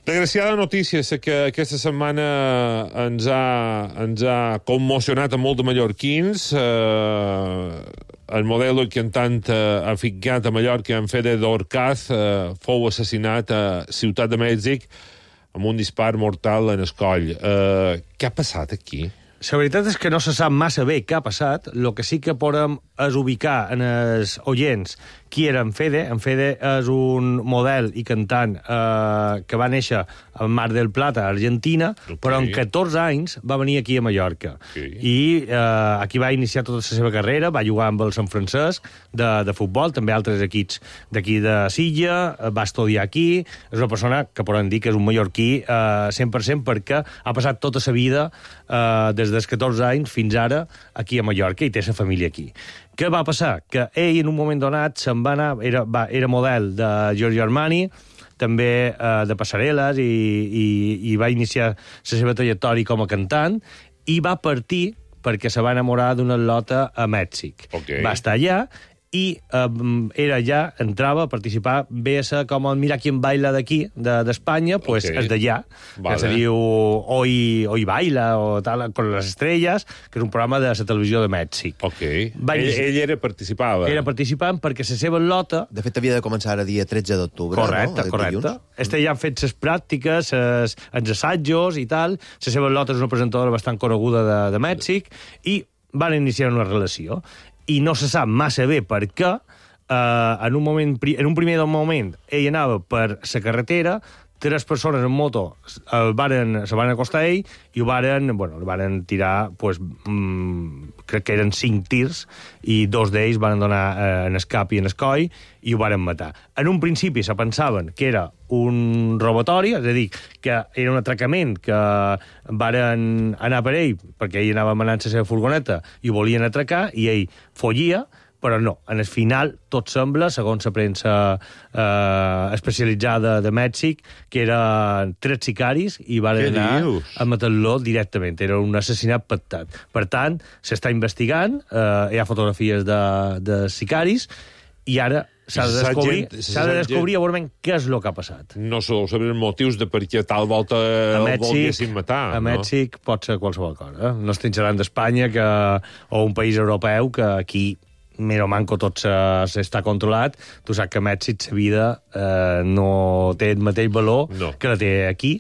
Desgraciada notícia, sé que aquesta setmana ens ha, ens ha commocionat a molt de mallorquins. Eh, el model que en tant eh, afincat a Mallorca, en Fede d'Orcaz, eh, fou assassinat a Ciutat de Mèxic amb un dispar mortal en el coll. Eh, què ha passat aquí?
La veritat és que no se sap massa bé què ha passat. El que sí que podem és ubicar en els oients qui era en Fede. En Fede és un model i cantant eh, que va néixer a Mar del Plata, a Argentina, okay. però en catorze anys va venir aquí a Mallorca. Okay. I eh, aquí va iniciar tota la seva carrera, va jugar amb el Sant Francesc de, de futbol, també altres equips d'aquí de Silla, va estudiar aquí, és una persona que podem dir que és un mallorquí eh, cent per cent perquè ha passat tota la vida eh, des dels catorze anys fins ara aquí a Mallorca i té la família aquí. Què va passar? Que ell en un moment donat se'n va anar, era, va, era model de Giorgio Armani, també eh, de passarel·les i, i, i va iniciar la seva trajectòria com a cantant i va partir perquè se va enamorar d'una lota a Mèxic. Okay. Va estar allà i eh, era ja, entrava a participar, ve a ser com el Mira quién baila d'aquí, d'Espanya, de, pues okay. és d'allà, vale. Que se diu Hoy, Hoy Baila, o tal, con les estrelles, que és un programa de la televisió de Mèxic.
Ok. Va ell, ell era participava.
Era participant perquè la seva lota...
De fet, havia de començar el dia tretze d'octubre,
correcte, no? Correcte, correcte. Este ja han fet les pràctiques, els, els assajos i tal. La seva lota és una presentadora bastant coneguda de, de Mèxic i van iniciar una relació. I no se sap massa bé per què, eh, en, un moment, en un primer moment ell anava per la carretera, tres persones en moto el varen, se van acostar a ell i ho varen, bueno, el varen tirar, pues, mmm, crec que eren cinc tirs, i dos d'ells van donar eh, en el cap i en el coll i ho varen matar. En un principi se pensaven que era un robatori, és a dir, que era un atracament, que varen anar per ell, perquè ell anava manant la seva furgoneta i ho volien atracar, i ell follia, però no. En el final, tot sembla, segons la premsa eh, especialitzada de Mèxic, que eren tres sicaris i van Què anar dius? A matar-lo directament. Era un assassinat pactat. Per tant, s'està investigant, eh, hi ha fotografies de, de sicaris, i ara s'ha de descobrir, s'ha de descobrir a veure què és el que ha passat.
No sabeu saber els motius de per què tal volta el volguessin matar.
A Mèxic no? Pot ser qualsevol cosa. Eh? No estem xerrant d'Espanya que, o un país europeu que aquí mero manco tot s'està controlat. Tu saps que a Mèxic la vida eh, no té el mateix valor no. que la té aquí,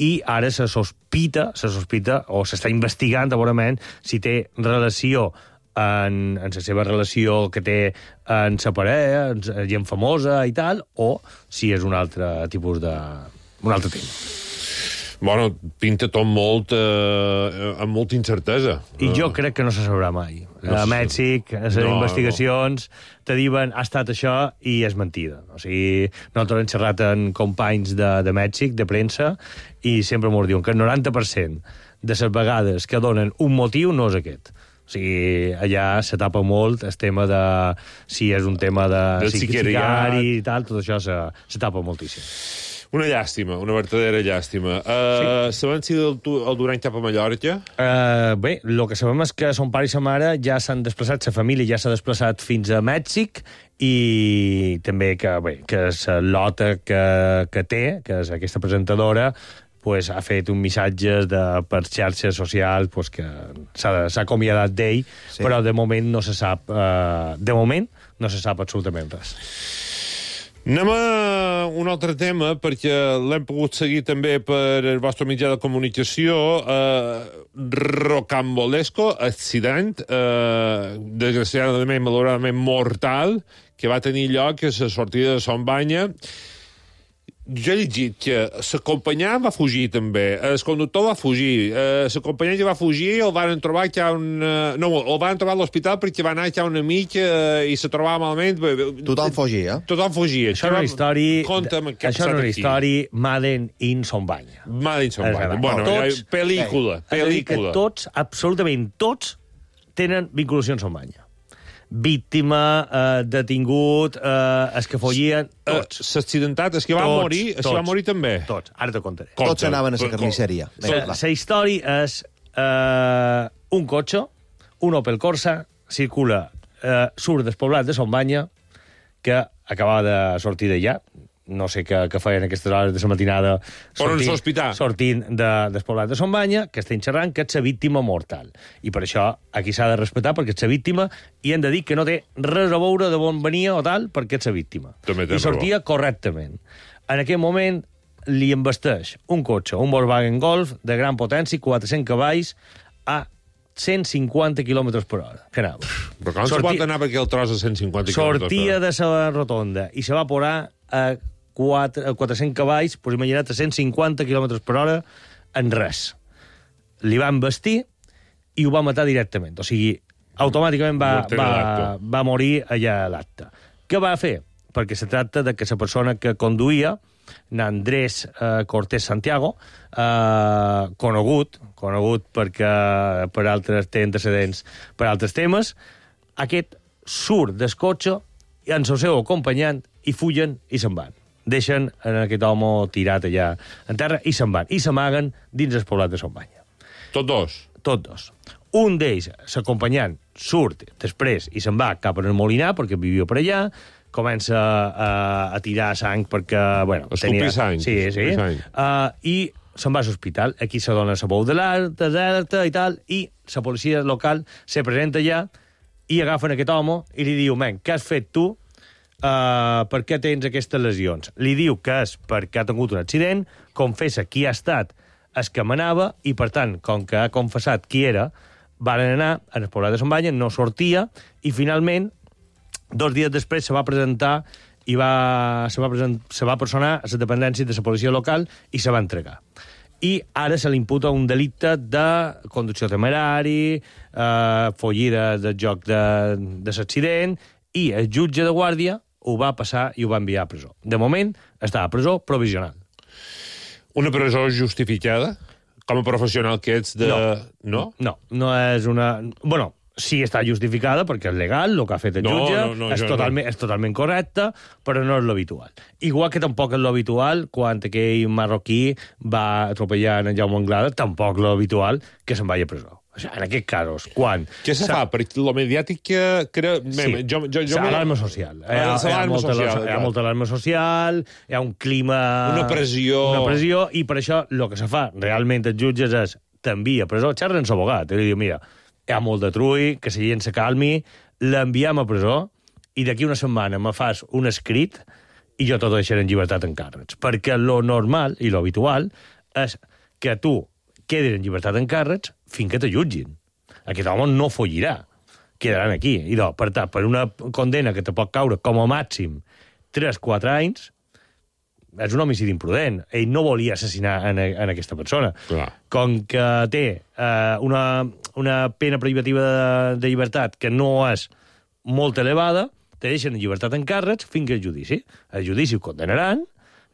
i ara se sospita, se sospita o s'està investigant, segurament, si té relació en, en la seva relació que té en sa parella, en gent famosa i tal, o si és un altre tipus de... un altre tema.
Bueno, pinta tot molt, eh, amb molta incertesa.
I jo crec que no se sabrà mai. No a Mèxic, a les no, investigacions, no. te diuen ha estat això i és mentida. O sigui, nosaltres hem xerrat amb companys de, de Mèxic, de premsa, i sempre m'ho diuen que el noranta per cent de les vegades que donen un motiu no és aquest. O sigui, allà se tapa molt el tema de... si és un tema de...
de
sicari i tal, tot això se, se tapa moltíssim.
Una llàstima, una verdadera llàstima. Uh, sí. Sabem si el, el Duran cap a Mallorca?
Uh, bé, el que sabem és que son pare i sa mare ja s'han desplaçat, sa família ja s'ha desplaçat fins a Mèxic, i també que, bé, que la lota que, que té, que és aquesta presentadora, pues, ha fet un missatge de, per xarxes socials pues, que s'ha acomiadat d'ell, sí. Però de moment no se sap, uh, de moment no se sap absolutament res.
Anem a un altre tema, perquè l'hem pogut seguir també per el vostre mitjà de comunicació. Eh, rocambolesco accident, eh, desgraciadament, malauradament mortal, que va tenir lloc a la sortida de Son Banya. Jo he llegit que l'acompanyant va fugir també, el conductor va fugir, eh, l'acompanyant ja va fugir, el van trobar que un... Eh, no, el van trobar a l'hospital perquè va anar que un amic eh, i se trobava malament.
Tothom fugia.
Tothom fugia.
Això és una història... Això és una història Madden in Son Banya.
Madden in Son Banya. Bueno, tots, pel·lícula, pel·lícula.
Que tots, absolutament tots, tenen vinculació amb Son Banya. Víctima, eh, detingut, eh, es que follien, tots.
Uh, S'accidentat, es que va tots, morir, es que va morir també.
Tots, ara te contaré.
Tots Conta. Anaven a la carnisseria.
La història és eh, un cotxe, un Opel Corsa, circula, eh, surt despoblat de Son Banya, que acabava de sortir d'allà, no sé què, què feien aquestes hores de la matinada sortint, sortint de, despoblat de Son Banya, que estem xerrant que és la víctima mortal. I per això aquí s'ha de respectar, perquè és la víctima, i hem de dir que no té res a veure de on venia o tal, perquè és la víctima. I sortia correctament. En aquell moment li embesteix un cotxe, un Volkswagen Golf de gran potència, quatre-cents cavalls, a cent cinquanta quilòmetres per hora, que anava.
Però com Sortia... se pot anar per aquell tros a cent cinquanta quilòmetres per hora?
Sortia de la rotonda i se va posar a, a quatre-cents cavalls, doncs imagina't, a cent cinquanta quilòmetres per hora en res. Li van vestir i ho va matar directament. O sigui, automàticament va, va, va morir allà a l'acte. Què va fer? Perquè se tracta de que la persona que conduïa, Andrés eh, Cortés Santiago, eh, conegut, conegut perquè per altres té antecedents per altres temes, aquest surt del cotxe i amb el seu acompanyant i fugen i se'n van. Deixen en aquest home tirat allà en terra i se'n van. I s'amaguen dins el poblat de Son Banya.
Tots dos?
Tots dos. Un d'ells, l'acompanyant, surt després i se'n va cap al Molinar, perquè vivia per allà, comença a, a tirar sang perquè... Bueno,
escopir tenia... sang.
Sí, sí. Uh, I se'n va a l'hospital. Aquí se dona la veu de l'alerta i tal, i la policia local se presenta allà i agafen aquest home i li diu, men, què has fet tu? Uh, per què tens aquestes lesions? Li diu que és perquè ha tingut un accident, confessa qui ha estat el que manava, i per tant, com que ha confessat qui era, van anar al poblat de Son Banya, no sortia, i finalment, dos dies després se va presentar i va, se, va present, se va personar a la dependència de la policia local i se va entregar. I ara se li imputa un delicte de conducció temerari, eh, follida del joc de, de l'accident, i el jutge de guàrdia ho va passar i ho va enviar a presó. De moment, està a presó provisional.
Una presó justificada? Com a professional que ets de...
No, no, no, no és una... Bueno, sí està justificada perquè és legal, el que ha fet el
no,
jutge,
no, no,
és, totalment, no. és totalment correcte, però no és l'habitual. Igual que tampoc és l'habitual quan aquell marroquí va atropellar en Jaume Anglada, tampoc l'habitual que se'n vagi a presó. O sigui, en aquests casos, quan...
Què se fa? Perquè lo mediàtic que... Cre...
Sí, jo, jo, jo alarma social. Hi ha, hi, ha molta, social, hi ha molta alarma social, hi ha un clima...
Una pressió...
Una pressió, i per això el que se fa realment els jutges és t'envia a presó, xerra amb l'abogat, i li diu, mira, hi ha molt de trull, que la gent se calmi, l'enviem a presó, i d'aquí una setmana me fas un escrit i jo t'ho deixaré en llibertat en càrrecs. Perquè lo normal i lo habitual és que tu quedis en llibertat en càrrecs fins que te jutgin. Aquest home no follirà. Quedaran aquí. I no, per tant, per una condena que te pot caure com a màxim tres a quatre anys, és un homicidi imprudent. Ell no volia assassinar en, en aquesta persona.
Clar.
Com que té eh, una, una pena privativa de, de llibertat que no és molt elevada, te deixen en llibertat en càrrecs fins que el judici. El judici ho condenaran,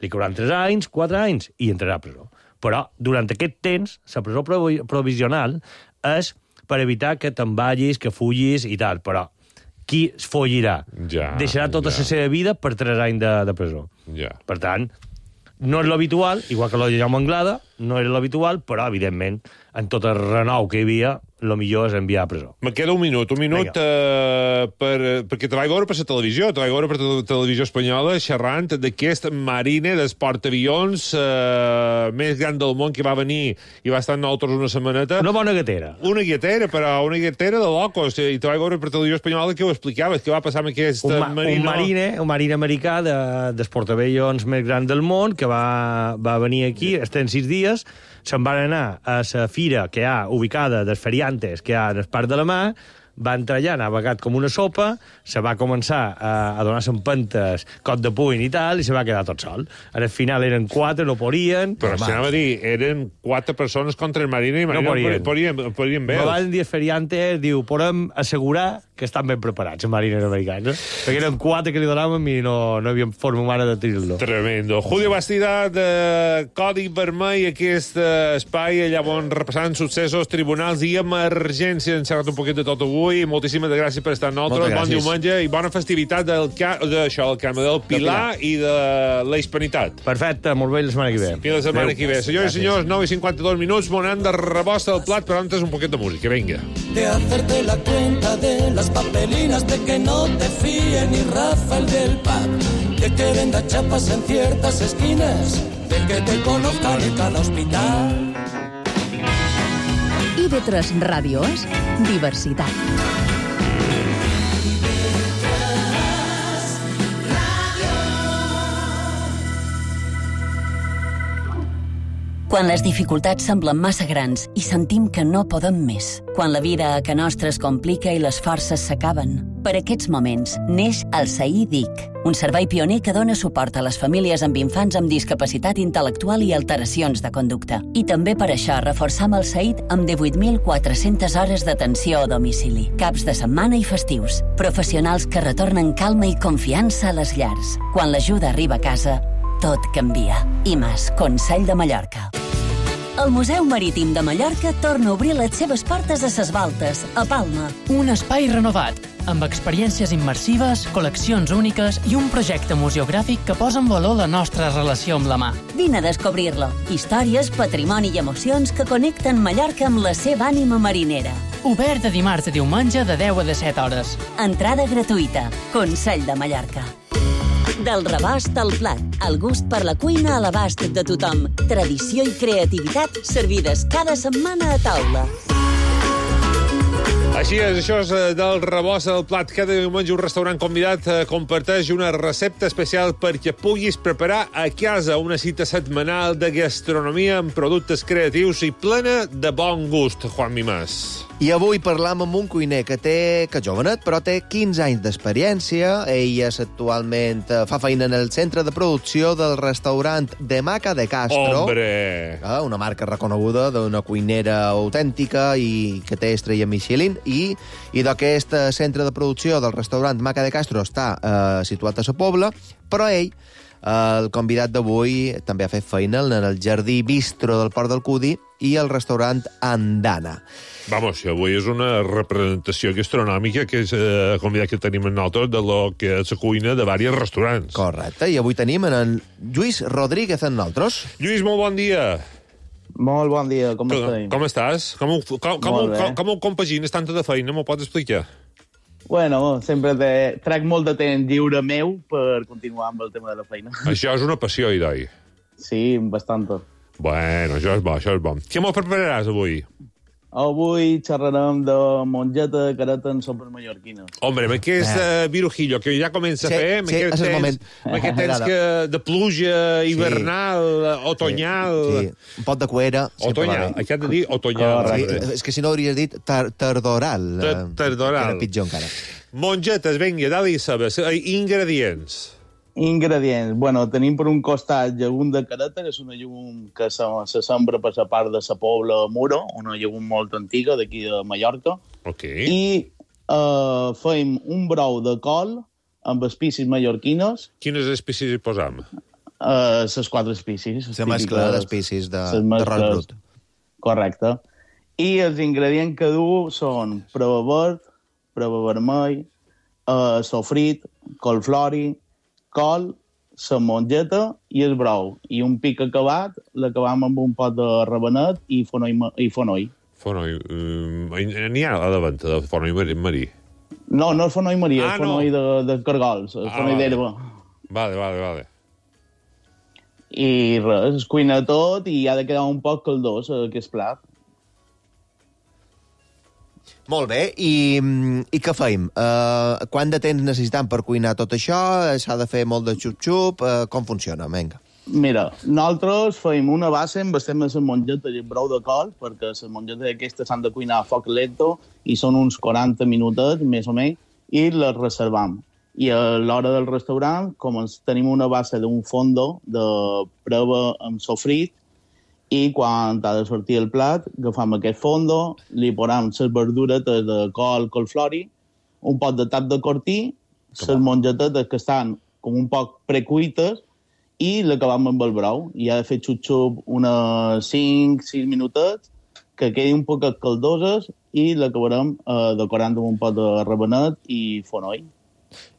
li cauran tres anys, quatre anys, i entrarà a presó. Però, durant aquest temps, la presó provisional és per evitar que te'n vagis, que fugis i tal, però qui es follirà?
Ja,
deixarà tota
ja.
la seva vida per tres anys de, de presó.
Ja.
Per tant, no és l'habitual, igual que lo de Jaume Anglada, no era l'habitual, però, evidentment, en tot el renou que hi havia, el millor és enviar a presó.
Me queda un minut, un minut uh, per, perquè te vaig veure per la televisió, te vaig veure per la televisió espanyola xerrant d'aquest marine d'esportavions uh, més gran del món que va venir i va estar amb nosaltres una setmaneta.
Una bona gatera.
Una gatera, però una gatera de locos. I te vaig veure per la televisió espanyola que ho explicaves, què va passar amb aquest
un ma
marine.
Un marine, un marine americà d'esportavions de, més gran del món que va, va venir aquí, estem sis dies, se'n van anar a la fira que hi ha ubicada dels feriantes que hi ha en el Parc de la Mar, va entrar allà, ha navegat com una sopa, se va començar a, a donar-se empentes, cot de puny i tal, i se va quedar tot sol. Al final eren quatre, no podien...
Però si anava a dir, eren quatre persones contra el marine i
no podien.
podien, podien bé.
Me van dir els feriantes, diu, podem assegurar que estan ben preparats, els marines americans, eh? Perquè eren quatre que li donàvem i no, no havia forma humana de tirar-lo.
Tremendo. Julio Bastida, de Codi Vermell, aquest espai, allà on repassant successos, tribunals i emergència. Hem xerrat un poquet de tot avui. Moltíssimes gràcies per estar amb nosaltres. Bon diumenge i bona festivitat del d'això, el camp del Pilar i de la Hispanitat.
Perfecte, molt bé la setmana que ve.
Fins la setmana que ve. Senyors i senyors, nou i cinquanta-dos minuts, monant de rebosta del plat, però antes un poquet de música. Vinga.
De hacerte la cuenta de las papelinas, de que no te fíe ni Rafael del Pac, de que venda chapas en ciertas esquinas, de que te conozcan en cada hospital.
I ve tres Ràdio és diversitat.
Quan les dificultats semblen massa grans i sentim que no podem més. Quan la vida a ca nostra es complica i les forces s'acaben. Per aquests moments neix el S A I D I C, un servei pioner que dona suport a les famílies amb infants amb discapacitat intel·lectual i alteracions de conducta. I també per això reforçam el S A I D amb divuit mil quatre-centes hores d'atenció a domicili, caps de setmana i festius. Professionals que retornen calma i confiança a les llars. Quan l'ajuda arriba a casa, tot canvia. I més, Consell de Mallorca. El Museu Marítim de Mallorca torna a obrir les seves portes a Ses Baltes, a Palma.
Un espai renovat, amb experiències immersives, col·leccions úniques i un projecte museogràfic que posa en valor la nostra relació amb la mà.
Vine a descobrir-lo. Històries, patrimoni i emocions que connecten Mallorca amb la seva ànima marinera.
Obert de dimarts a diumenge de deu a disset hores.
Entrada gratuïta. Consell de Mallorca. Del rebost al plat, el gust per la cuina a l'abast de tothom. Tradició i creativitat servides cada setmana a taula.
Així és, això és del rebost al plat. Cada diumenge un restaurant convidat comparteix una recepta especial perquè puguis preparar a casa una cita setmanal de gastronomia amb productes creatius i plena de bon gust, Juan Mimàs.
I avui parlam amb un cuiner que té, que jovenet, però té quinze anys d'experiència. Ell és actualment fa feina en el centre de producció del restaurant de Maca de Castro.
Hombre!
Una marca reconeguda d'una cuinera autèntica i que té estrella Michelin. I, i d'aquest centre de producció del restaurant Maca de Castro està eh, situat a Sa Pobla, però ell, eh, el convidat d'avui, també ha fet feina en el Jardí Bistro del Port del Cudi i el restaurant Andana.
Vamos, avui és una representació gastronòmica que és eh, convidat que tenim nosaltres de lo que és la cuina de diversos restaurants.
Correcte, i avui tenim en el Lluís Rodríguez en nosaltres.
Lluís, molt bon dia.
Molt bon dia, com
com,
estem?
Com estàs? Com, com, com, com, com ho compagines tanta de feina? M'ho pots explicar?
Bueno, sempre te, trec molt de temps lliure meu per continuar amb el tema de la feina.
Això és una passió, Idoi.
Sí, bastant.
Bueno, això és bo, això és bo. Què m'ho prepararàs avui?
Avui xerrarem de mongeta de careta en sopes mallorquines.
Hombre, amb aquest uh, virujillo que ja comença
Sí,
a fer, amb
sí,
aquest
és el
temps,
moment.
amb aquest temps que, de pluja hivernal, sí. otonyal...
Sí, un pot de cuera.
Otonyal, aquí has de dir otonyal.
Sí, és que si no hauries dit tar tardoral.
Tardoral.
Que era pitjor encara.
Mongetes, vinga, dali sabes. Ingredients.
Ingredients. Bueno, tenim per un costat llegum de careta, que és una llegum que se, se sembra per la part de Sa Pobla Muro, una llegum molt antiga d'aquí de Mallorca.
Ok.
I uh, fem un brou de col amb espècies mallorquines.
Quines espècies hi posam?
Uh, les quatre espècies.
La mescla d'espècies de, de ros brut.
Correcte. I els ingredients que du són prova verd, prova vermell, uh, sofrit, colflori, col, la mongeta i el brou. I un pic acabat l'acabam amb un pot de rabenet i fonoll. I fonoll.
Fonoll. Um, N'hi ha a la venda de fonoll marí?
No, no és fonoll marí,
ah,
és fonoll no. de, de cargols, ah, fonoll
vale.
d'herba.
Vale, vale, vale.
I res, es cuina tot i ha de quedar un poc caldós aquest plat.
Molt bé, i, i què fem? Uh, quant de temps necessitem per cuinar tot això? S'ha de fer molt de xup-xup? Uh, com funciona? Vinga.
Mira, nosaltres fem una base amb estem a la mongeta i el brou de col, perquè les mongetes aquestes s'han de cuinar a foc lento i són uns quaranta minutets, més o menys, i les reservam. I a l'hora del restaurant, com tenim una base d'un fondo de prova amb sofrit, i quan ha de sortir el plat, agafam aquest fondo, li posam les verduretes de col, colflori, un pot de tap de cortí, les mongetetes que estan com un poc precuites, i l'acabam amb el brou. I ha de fer xup-xup unes cinc sis minutets, que quedi un poc caldoses, i l'acabarem eh, decorant amb un pot de rabenet i fonoll.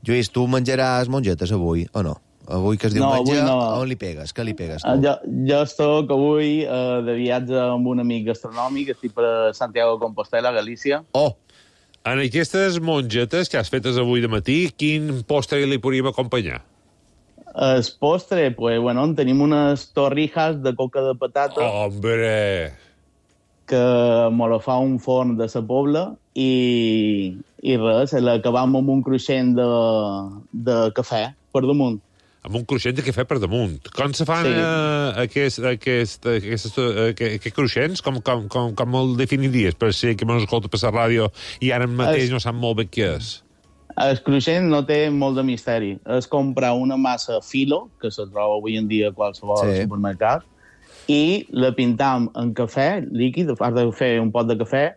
Lluís, tu menjaràs mongetes avui, o no? Avui que es diu
no,
menja,
no.
on li pegues? Què li pegues?
Tu? Jo, jo estic avui eh, de viatge amb un amic gastronòmic, estic per Santiago de Compostela, Galícia.
Oh! En aquestes mongetes que has fetes avui de matí, quin postre li podríem acompanyar?
El postre, pues, bueno, tenim unes torrijas de coca de patata.
Oh, hombre!
Que me la fa un forn de Sa Pobla i, i res, l'acabam amb un cruixent de, de cafè per damunt.
amb un cruixent de cafè per damunt. Com se fan
Sí.
eh, aquest, aquest, aquest, aquest, aquest cruixents? Com, com, com, com el definiries? Per si que m'ho escolta per la ràdio i ara mateix
Es-
no sap molt bé què és.
El cruixent no té molt de misteri. És comprar una massa filo, que se troba avui en dia a qualsevol
Sí.
supermercat, i la pintam en cafè líquid, has de fer un pot de cafè,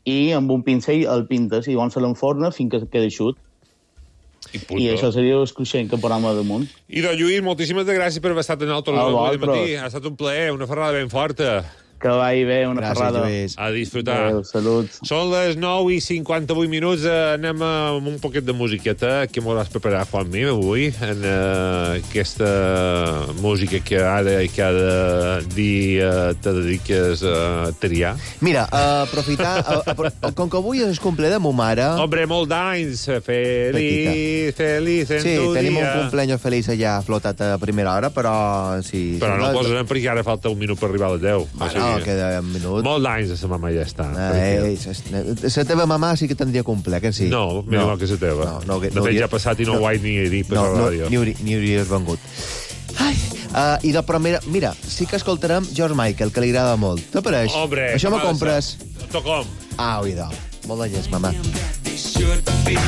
i amb un pincell el pintes i llavors se l'enforna fins que quedi eixut.
I,
I això seria el cruixent que posam a damunt.
I de Lluís, moltíssimes gràcies per haver estat en el
A
avui de
vosaltres.
matí. Ha estat un plaer, una ferrada ben forta.
Que vagi bé, una
Gràcies,
ferrada.
Lluís.
A disfrutar.
Adéu, salut.
Són les nou i cinquanta-vuit minuts. Eh, anem amb un poquet de musiqueta que m'hauràs preparat, Juanmi, avui, en uh, aquesta música que ara i cada dia te dediques a triar.
Mira, a aprofitar... A, a, com que avui és el cumple de mo mare...
Hombre, molt d'anys. Feliç, feliç en
Sí,
tu
tenim
dia.
un cumpleaños feliç allà flotat a primera hora, però... Sí,
Però
sí,
no el posarem perquè ara falta un minut per arribar a les deu.
Bueno, queda un minut.
Molt d'anys de sa mama ja està.
Ei, la teva mamà sí que tindria cumple, que sí?
No, mira no. que és la teva.
No, no,
de
no
fet,
hauria-
ja ha passat i no, no ho vaig ni dir per
no,
la
no,
ràdio.
ni, hauria, ni hauries vengut. Ai, uh, I de primera... Mira, sí que escoltarem George Michael, que li agrada molt. T'apareix?
Hombre,
Això me
com ha de
compres?
ser? Tocom.
Ah, oïda. Molt de llest, mamà.
Should be